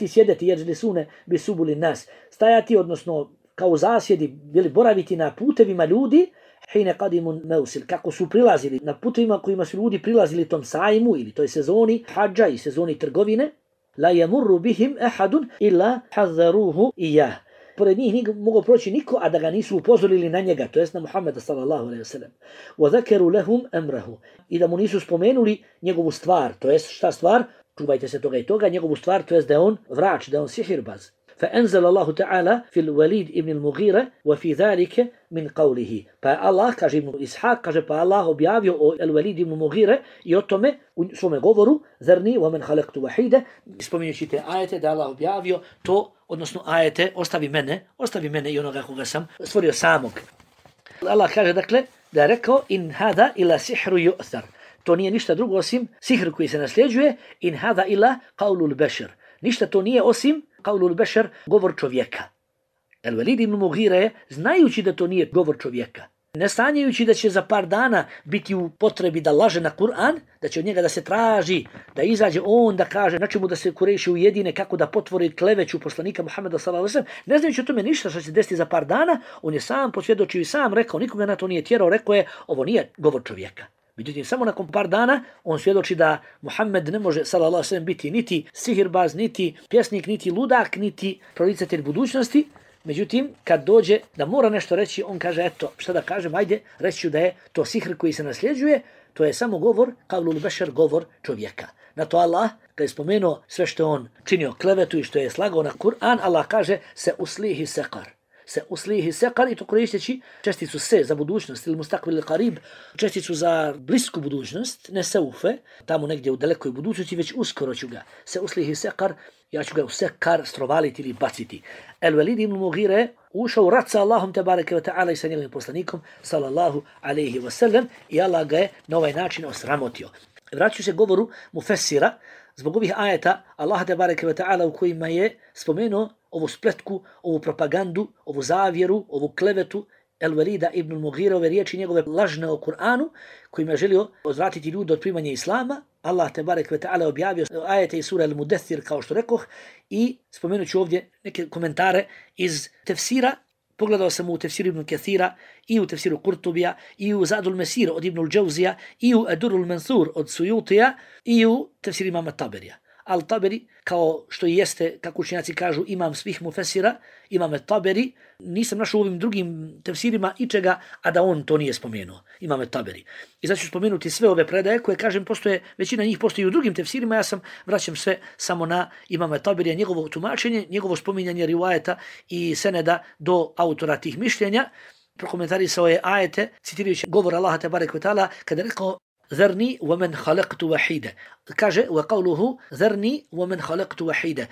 sjedeti, jeđlisune bisubuli nas, stajati, odnosno kao zasjedi, bili boraviti na putevima ljudi, hine qadimun meusil, kako su prilazili na putevima kojima su ljudi prilazili tom sajmu ili toj sezoni hadža i sezoni trgovine, la yamurru bihim ahadun illa hadharuhu iyah. Pored njih nije mogao proći niko, a da ga nisu upozorili na njega, to jest na Muhammeda sallallahu alejhi ve sellem. Wa zakaru lahum amrahu, i da mu nisu spomenuli njegovu stvar, to jest šta stvar? Čuvajte se toga i toga, njegovu stvar, to jest da je on vrač, da je on sihirbaz. فأنزل الله تعالى في الوليد ابن المغيرة وفي ذلك من قوله. Pa Allah, kaže Ibn Ishaq, kaže pa Allah objavio o Al-Walid ibn Mughire i o tome u svome govoru, Zarni wa man khalaqtu wahida, spominjući te ajete da Allah objavio to, odnosno ajete, ostavi mene i onoga koga sam stvorio samog. Allah kaže dakle da je rekao in hada ila sihru yu'thar. To nije ništa drugo osim sihr koji se nasljeđuje, in hada ila qaulul bashar. Ništa to nije osim qaulul bashar, govor čovjeka. Al-Walid ibn Mughire, znajući da to nije govor čovjeka, ne sanjajući da će za par dana biti u potrebi da laže na Kur'an, da će od njega da se traži, da izađe on da kaže na čemu da se Kurejši ujedine, kako da potvori kleveću poslanika Muhammeda sallallahu alejhi ve sellem, ne znajući o tome ništa što će se desiti za par dana, on je sam posvjedočio i sam rekao, nikoga na to nije tjerao, rekao je, ovo nije govor čovjeka. Međutim, samo nakon par dana on svjedoči da Muhammed ne može sallallahu alejhi ve sellem biti niti sihirbaz, niti pjesnik, niti ludak, niti proricatelj budućnosti, Međutim, kad dođe da mora nešto reći, on kaže, eto, šta da kažem, ajde, reći ću da je to sihr koji se nasljeđuje, to je samo govor, kavlul bešar, govor čovjeka. Na to Allah, kad je spomenuo sve što on činio klevetu i što je slagao na Kur'an, Allah kaže, se uslihi sekar. Se uslihi sekar, i to koristeći česticu se za budućnost ili mustakbil qarib, česticu za blisku budućnost, ne seufe, tamo negdje u dalekoj budućnosti, već uskoro ću ga. Se uslihi sekar, ja ću ga u sekar strovaliti ili baciti. El-Velid ibn Mughire ušao u rat sa Allahom tebareke ve ta'ala i sa njegovim poslanikom sallallahu alejhi ve sellem i Allah ga je na ovaj način osramotio. Vraću se govoru Mufessira zbog ovih ajeta Allah tebareke ve ta'ala u kojima je spomenuo ovu spletku, ovu propagandu, ovu zavjeru, ovu klevetu El-Velida ibn Mughire, ove riječi njegove lažne o Kur'anu, kojima je želio odvratiti ljude od primanja Islama. Allah tebarek ve ta'ala objavio ajete iz sura Al-Mudaththir, kao što rekoh, i spomenut ću ovdje neke komentare iz tefsira. Pogledao sam u tefsiru Ibn Kathira i u tefsiru Kurtubija i u Zadul Mesir od Ibn al-Džawzija i u Edurul Mansur od Sujutija i u tefsiru imama Taberija. Al-Taberi, kao što i jeste, kako učenjaci kažu, imam svih mufesira, imam Taberi, nisam našao u ovim drugim tefsirima ičega, a da on to nije spomenuo, imam Taberi. I zato ću spomenuti sve ove predaje koje, kažem, postoje, većina njih postoji u drugim tefsirima, ja sam vraćam sve samo na imam Taberija, njegovo tumačenje, njegovo spominjanje rivajeta i seneda do autora tih mišljenja. Prokomentarisao je ajete, citirajući govor Allaha tebarek ve ta'ala, kada je rekao ذرني ومن خلقت وحيدا. Kaže وقوله ذرني ومن خلقت وحيدا.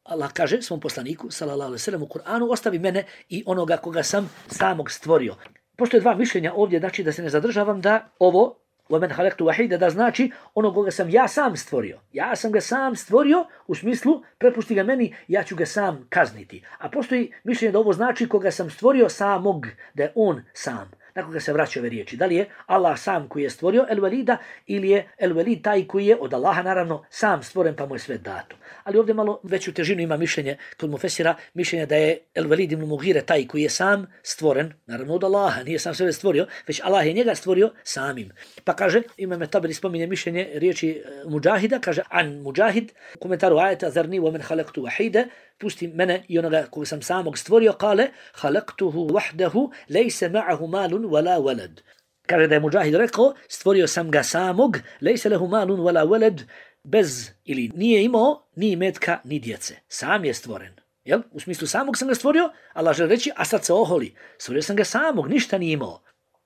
Allah kaže svom poslaniku sallallahu alejhi ve sellem u Kur'anu, ostavi mene i onoga koga sam samog stvorio. Postoje dva mišljenja ovdje, znači da se ne zadržavam da ovo ومن خلقت وحيدا da znači onoga koga sam ja sam stvorio. Ja sam ga sam stvorio u smislu prepusti ga meni, ja ću ga sam kazniti. A postoji mišljenje da ovo znači koga sam stvorio samog, da je on sam. Na koga se vraćaju ove riječi. Da li je Allah sam koji je stvorio El-Velida ili je El-Velid taj koji je od Allaha naravno sam stvoren pa mu je sve dato. Ali ovdje malo veću težinu ima mišljenje kod Mufessira, mišljenje da je El-Velid ibn Mughire taj koji je sam stvoren, naravno od Allaha, nije sam sebe stvorio, već Allah je njega stvorio samim. Pa kaže, imam Taberi spominje mišljenje riječi Mujahida, kaže an Mujahid, u komentaru ajeta Zarni wa men halaktu wahide, pusti mene i onoga koga sam samog stvorio, kale, halaktuhu wahdahu, lejse ma'ahu malun wala walad. Kaže da je Mujahid rekao, stvorio sam ga samog, lejse lehu malun wala walad, bez ili nije imao ni imetka ni djece. Sam je stvoren. Jel? U smislu samog sam ga stvorio, Allah želi reći, a sad se oholi. Stvorio sam ga samog, ništa nije imao.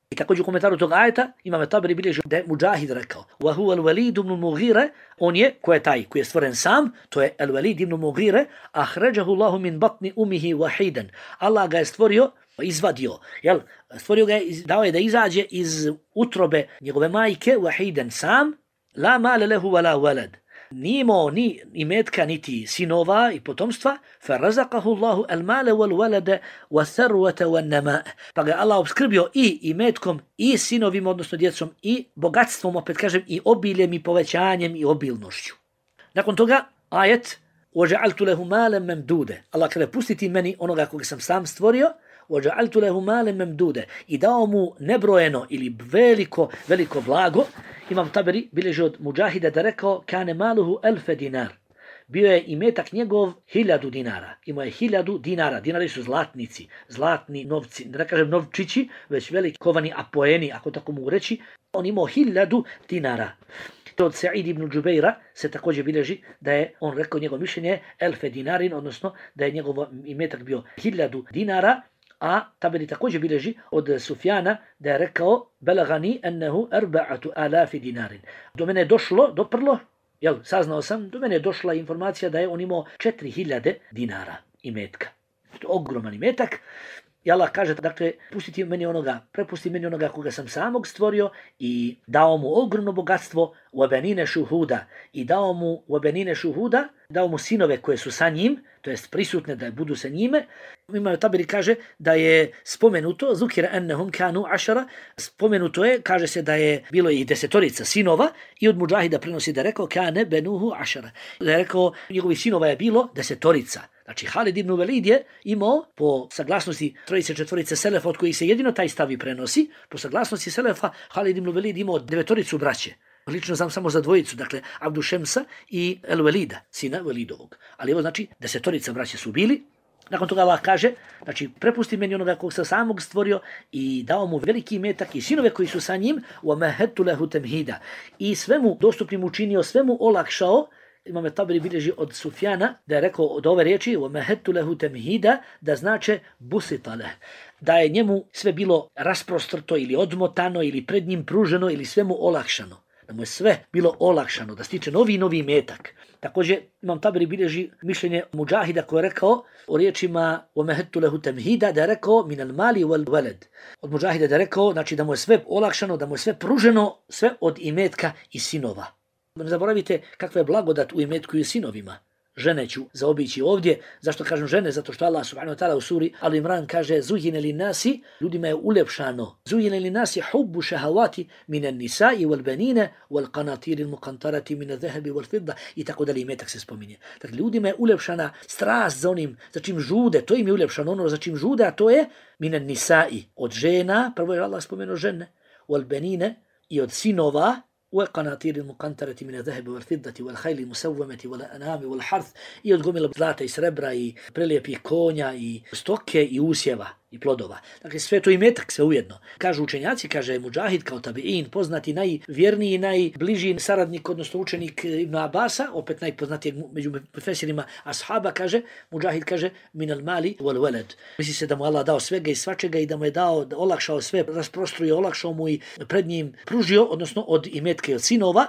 I također u komentaru tog ajeta imam Taberi bilježi da je Mujahid rekao wa huwa al-Walid ibn Mughire, on je, ko je taj koji je stvoren sam, to je al-Walid ibn Mughire, ahrajahu Allahu min batni umihi wahidan. Allah ga je stvorio, izvadio, jel? Stvorio ga je, dao je da izađe iz utrobe njegove majke wahidan sam, la mala lahu wala walad. Nije imao ni imetka, niti sinova i potomstva, farazaqahu Allahu al-mala wal-walada wa-tharwata wan-nama. Pa ga Allah obskrbio i imetkom, i sinovima, odnosno djecom, i bogatstvom, opet kažem, i obiljem, i povećanjem, i obilnošću. Nakon toga, ajet, وَجَعَلْتُ لَهُ مَالًا مَمْدُودًا. Allah kada pustiti meni onoga koga sam sam stvorio, وَجَعَلْتُ لَهُ مَالًا مَمْدُودًا. I dao mu nebrojeno ili veliko blago. Imam Taberi bilježi od Mujahida da rekao kane maluhu 1000 dinar. Bio je imetak njegov 1000 dinara. Imao je 1000 dinara. Dinari su zlatnici, zlatni novci, da kažem novčići, već veliki kovani apoeni, ako tako mogu reći. On imao 1000 dinara. Od Sa'id ibn Džubeira se također bilježi da je on rekao njegov mišljenje 1000 dinarin, odnosno da je njegov imetak bio 1000 dinara. A Taberi također bilježi od Sufjana da je rekao belagani ennehu 4000 dinarin. Do mene je doprlo, saznao sam, do mene je došla informacija da je on imao 4000 dinara imetka. To je ogroman imetak. I Allah kaže, dakle, prepusti meni onoga koga sam samog stvorio i dao mu ogromno bogatstvo u abenine šuhuda. I dao mu u abenine šuhuda, dao mu sinove koje su sa njim, to jest prisutne da budu sa njime. Imam Taberi kaže da je spomenuto, zukira ennehum kanu 10, spomenuto je, kaže se da je bilo i 10 sinova i od Mujahida prenosi da je rekao kane benuhu 10. Da je rekao, njegovih sinova je bilo 10. Znači, Halid ibn Velid je imao, po saglasnosti 3-4 selefa, od kojih se jedino taj stavi prenosi, po saglasnosti selefa, Halid ibn Velid imao 9 braće. Lično znam samo za dvojicu, dakle, Abdu Šemsa i El Velida, sina Velidovog. Ali evo znači, 10 braće su bili, Nakon toga Allah kaže, znači prepusti meni onoga kog sam samog stvorio i dao mu veliki imetak i sinove koji su sa njim, وَمَهَدْتُ لَهُ تَمْهِيدًا, i svemu dostupnim učinio, svemu olakšao. Imam Taberi bilježi od Sufjana da je rekao od ove riječi وَمَهَدْتُ لَهُ تَمْهِيدًا, da znače busitale, da je njemu sve bilo rasprostrto ili odmotano ili pred njim pruženo ili sve mu olakšano, da mu je sve bilo olakšano, da stiče novi imetak. Također Imam Taberi bilježi mišljenje Mudžahida koji je rekao o riječima وَمَهَدْتُ لَهُ تَمْهِيدًا, da je rekao min al-mali wal-walad. Od Mudžahida da je rekao, znači da mu je sve olakšano, da mu je sve pruženo, sve od imetka i sinova. Ne zaboravite kakva je blagodat u imetku i sinovima. Žene ću zaobići ovdje. Zašto kažem žene? Zato što Allah subhanahu wa ta'ala u suri Al Imran kaže zujine li nasi, ljudima je uljepšano. Zujine li nasi hubbu šahavati minan nisa'i wal banina wal qanatiri muqantarati min adh-dhahabi wal fidda, i tako dalje imetak se spominje. Dakle, ljudima je uljepšana strast za onim za čim žude, to im je uljepšano, ono za čim žude, a to je minan nisa'i, od žena, prvo je Allah spomenuo žene, wal banina, i od sinova, وقناطير المقنطرة من الذهب والفضة والخيل المسومة والأنعام والحرث, i od gomila zlata i srebra i prelijepih konja i stoke i usjeva i plodova. Dakle, sve to imetak se ujedno. Kažu učenjaci, kaže Mudžahid kao tabi'in, poznati najvjerniji, najbliži saradnik, odnosno učenik Ibn Abasa, opet najpoznatijeg među profesirima ashaba, kaže, Mudžahid kaže min al mali wal walad. Misli se da mu Allah dao svega i svačega i da mu je dao, da olakšao sve, rasprostruo, olakšao mu i pred njim pružio, odnosno od imetka i od sinova.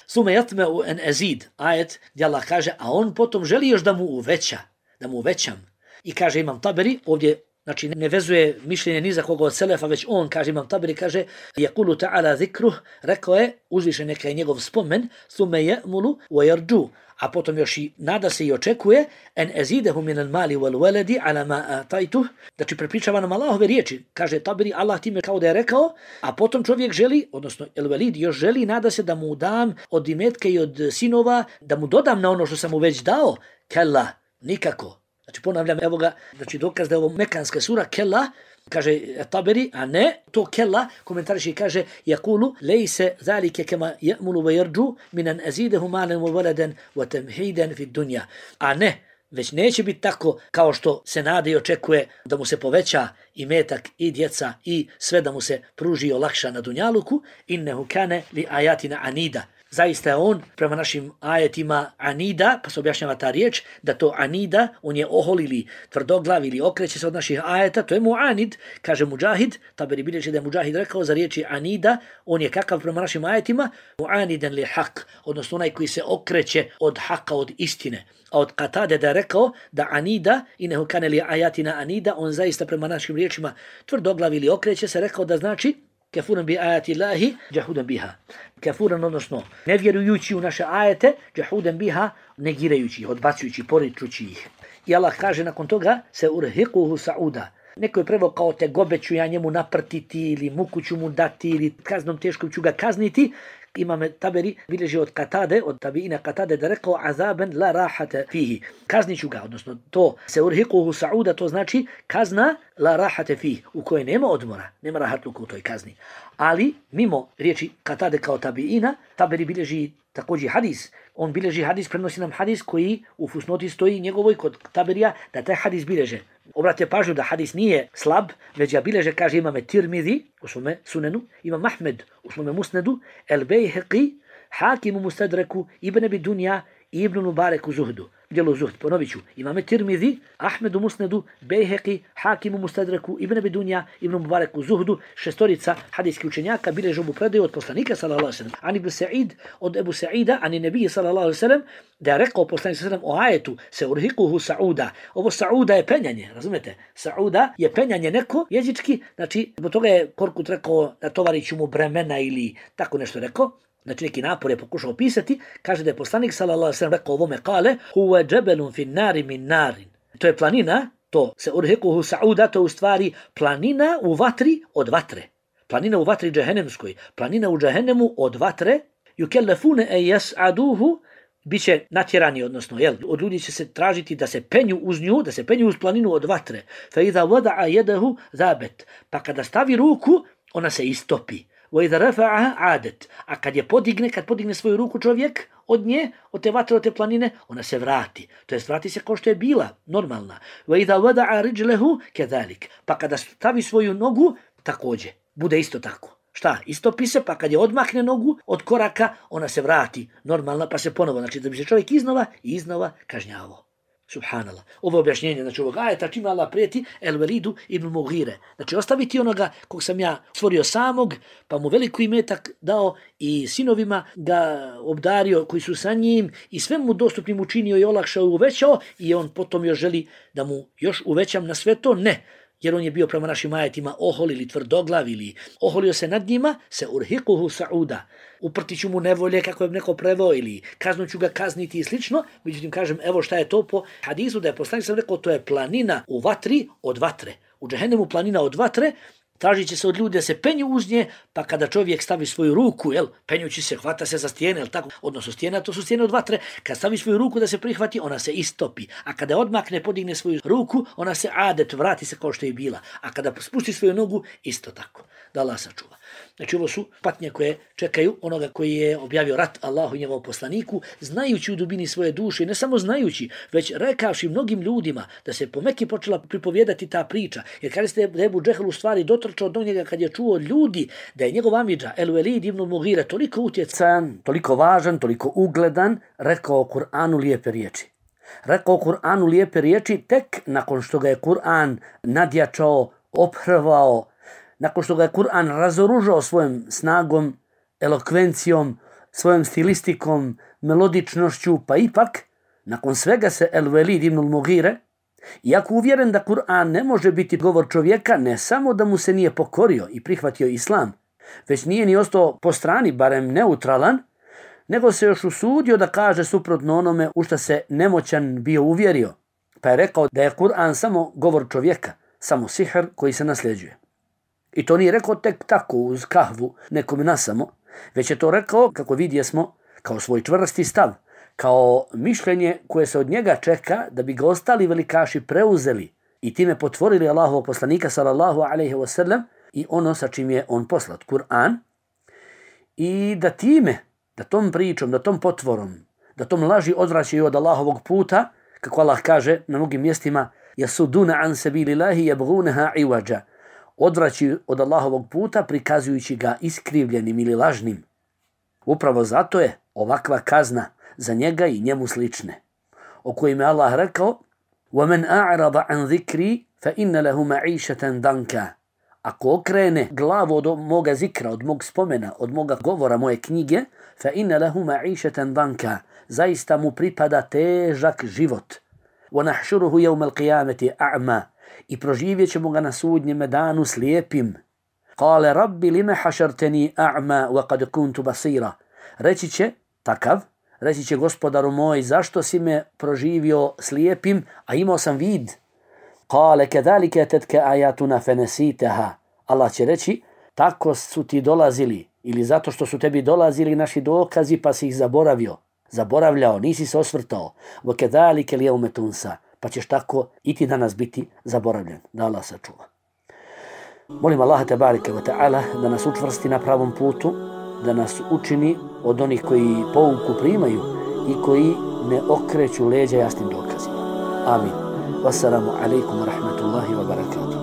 Sume yatma'u an azid, ajet gdje Allah kaže, a on potom želi još da mu uveća, da mu uvećam. I kaže Imam Taberi, ovdje znači ne vezuje mišljenje ni za koga od selefa, već on, kaže Imam Taberi, kaže yaqulu ta'ala zikruh, rekao je, uzvišen neka je njegov spomen, thumme ya'mulu wa yarju, a potom još i nada se i očekuje en azidahu min al-mali wal waladi ala ma ataytuh, znači prepričava nam Allahove riječi. Kaže Taberi, Allah time kao da je rekao, a potom čovjek želi, odnosno el-Walid još želi, nada se da mu dam od imetka i od sinova, da mu dodam na ono što sam mu već dao. Kella, nikako. Znači ponavljam, evo ga, znači dokaz da je ovo mekanska sura, kella, kaže Taberi, a ne, to kella, komentariš i kaže, jakulu, lejse zalike kema ja'mulu wa yarđu, minan azidehu malen wa waladan wa tamhidan fi dunja. A ne, već neće biti tako kao što se nade i očekuje da mu se poveća i metak i djeca i sve da mu se pruži i olakša na dunjaluku, innehu kane li ajatina anida. Zaista je on prema našim ajetima anida, pa se objašnjava ta riječ, da to anida, on je ohol ili tvrdoglav ili okreće se od naših ajeta, to je muanid, kaže Mudžahid, Taberi bilježi da je Mudžahid rekao za riječi anida, on je kakav prema našim ajetima, muaniden li hak, odnosno onaj koji se okreće od haka, od istine. A od Katade da je rekao da anida, inehu kane li ajatina anida, on zaista prema našim riječima tvrdoglav ili okreće se, rekao da znači kafuran bi ajati Allahi, jahudan biha. Kafuran, odnosno nevjerujući u naše ajete, jahudan biha, negirajući ih, odbacujući, poričući ih. I Allah kaže nakon toga, se urhiquhu sa'uda. Neko je preveo kao tegobe ću ja njemu naprtiti ili muku ću mu dati ili kaznom teškom ću ga kazniti. Imam Taberi bilježi od Katade, od tabiina Katade da rekao azaben la rahate fihi. Kazniću ga, odnosno to se urhiquhu sa'uda, to znači kazna la rahate fihi, u kojoj nema odmora, nema rahatluka u toj kazni. Ali mimo riječi Katade kao tabiina, Taberi bilježi također hadis. On bilježi hadis, prenosi nam hadis koji u fusnoti stoji njegovoj kod Taberija, da taj hadis bilježe. Obrate pažnju da hadis nije slab, već ga bilježe, kaže imame Tirmidhi u svome sunenu, imam Ahmed u svome musnedu, El Bejheqi, Hakim u Mustadreku, Ibn Abi Dunja i Ibn Mubarek u Zuhdu. Djelu Zuhd, ponovit ću. Imame Tirmidhi, Ahmed u Musnedu, Bejheqi, Hakim u Mustadreku, Ibn Abi Dunja, Ibn Mubarek u Zuhdu, šestorica hadijskih učenjaka bilježe ovu predaju od poslanika sallallahu alejhi ve sellem. Ani Ibn Sa'id, od Ebu Sa'ida, ani Nebije sallallahu alejhi ve sellem, da je rekao poslanik sallallahu alejhi ve sellem o ajetu se urhiquhu sa'uda. Ovo sa'uda je penjanje, razumete? Sa'uda je penjanje neko jezički, znači zbog toga je Korkut rekao da tovariću mu bremena ili tako nešto rekao. Znači neki napor je pokušao opisati, kaže da je poslanik sallallahu alejhi ve sellem rekao ovome kale huwa jabalun fi nari min narin. To je planina, to se urhiquhu sa'uda, to je u stvari planina u vatri od vatre. Planina u vatri džehennemskoj, planina u džehennemu od vatre, yukellafuna an yas'aduhu, biće natjerani, odnosno od ljudi će se tražiti da se penju uz nju, da se penju uz planinu od vatre. Fa idha wada'a yadahu zabet, pa kada stavi ruku, ona se istopi. وَإِذَا رَفَعَهَا عَادَتْ. A kad podigne svoju ruku čovjek, od nje, od te vatre, od te planine, ona se vrati. To jest vrati se kao što je bila, normalna. وَإِذَا وَدَعَ رِجْلَهُ كَذَلِكَ. Pa kada stavi svoju nogu, također, bude isto tako. Šta? Istopi se, pa kad je odmakne nogu od koraka, ona se vrati normalna, pa se ponovo, znači da bi se čovjek iznova kažnjavao. Subhanallah. Ovo objašnjenje, znači ovog ajeta čime Allah prijeti El Velidu ibn Mughire. Znači ostaviti onoga kog sam ja stvorio samog, pa mu veliki imetak dao i sinovima ga obdario koji su sa njim i sve mu dostupnim učinio i olakšao i uvećao i on potom još želi da mu još uvećam na sve to? Ne. Jer on je bio prema našim ajetima ohol ili tvrdoglav ili oholio se nad njima, se urhiquhu sa'uda. Uprtit ću mu nevolje kako je neko preveo ili kaznu ću ga kazniti i slično. Međutim, kažem, evo šta je to po hadisu da je poslanik sam rekao, to je planina u vatri od vatre. U džehennemu planina od vatre, tražit će se od ljudi da se penju uz nje, pa kada čovjek stavi svoju ruku, penjući se, hvata se za stijene, tako, odnosno stijena, to su stijene od vatre, kad stavi svoju ruku da se prihvati, ona se istopi, a kada odmakne, podigne svoju ruku, ona se adet, vrati se kao što je bila, a kada spusti svoju nogu, isto tako, da Allah sačuva. Znači ovo su patnje koje čekaju onoga koji je objavio rat Allahu i njegovom poslaniku, znajući u dubini svoje duše, ne samo znajući, već rekavši mnogim ljudima da se po Meki počela pripovijedati ta priča. Jer kada ste Ebu Džehel u stvari dotrčao do njega kad je čuo od ljudi da je njegov amidža El Velid ibn Mughire toliko utjecan, toliko važan, toliko ugledan, rekao Kur'anu lijepe riječi. Rekao Kur'anu lijepe riječi tek nakon što ga je Kur'an nadjačao, ophrvao, nakon što ga je Kur'an razoružao svojom snagom, elokvencijom, svojom stilistikom, melodičnošću, pa ipak, nakon svega se El Velid ibn Mughire, iako uvjeren da Kur'an ne može biti govor čovjeka, ne samo da mu se nije pokorio i prihvatio islam, već nije ni ostao po strani, barem neutralan, nego se još usudio da kaže suprotno onome u što se nemoćan bio uvjerio, pa je rekao da je Kur'an samo govor čovjeka, samo sihr koji se nasljeđuje. I to nije rekao tek tako uz kahvu nekom nasamo, već je to rekao, kako vidjesmo, kao svoj čvrsti stav, kao mišljenje koje se od njega čeka da bi ga ostali velikaši preuzeli i time potvorili Allahovog poslanika sallallahu alejhi ve sellem i ono sa čim je on poslat, Kur'an, i da time, da tom pričom, da tom potvorom, da tom laži odvraćaju od Allahovog puta, kako Allah kaže na mnogim mjestima, yasuduna an sabilillahi yabghunaha iwaja, odvraćaju od Allahovog puta prikazujući ga iskrivljenim ili lažnim. Upravo zato je ovakva kazna za njega i njemu slične, o kojima je Allah rekao وَمَنْ أَعْرَضَ عَنْ ذِكْرِي فَإِنَّ لَهُ مَعِيشَةً دَنْكَ. Ako okrene glavu od moga zikra, od mog spomena, od moga govora, moje knjige, فَإِنَّ لَهُ مَعِيشَةً دَنْكَ. Zaista mu pripada težak život. وَنَحْشُرُهُ يَوْمَ الْقِيَامَةِ أَعْمَى. I proživjet ćemo ga na sudnjem danu slijepim. قَالَ رَبِّ لِمَ حَشَرْتَنِي أَعْمَى وَقَدْ كُنْتُ بَصِيرًا. Reći će gospodaru moj, zašto si me proživio slijepim, a imao sam vid? قَالَ كَذَلِكَ تَتْكَ آيَاتُنَا فَنَسِيتَهَا. Allah će reći, tako su ti dolazili, ili zato što su tebi dolazili naši dokazi pa si ih zaboravljao, nisi se osvrtao. وَكَذَلِكَ الْيَوْمَ تُنْسَى. Pa ćeš tako i ti danas biti zaboravljen. Da Allah sačuva. Molim Allaha tebareke ve ta'ala da nas učvrsti na pravom putu, da nas učini od onih koji pouku primaju i koji ne okreću leđa jasnim dokazima. Amin. Wassalamu alaikum wa rahmatullahi wa barakatuh.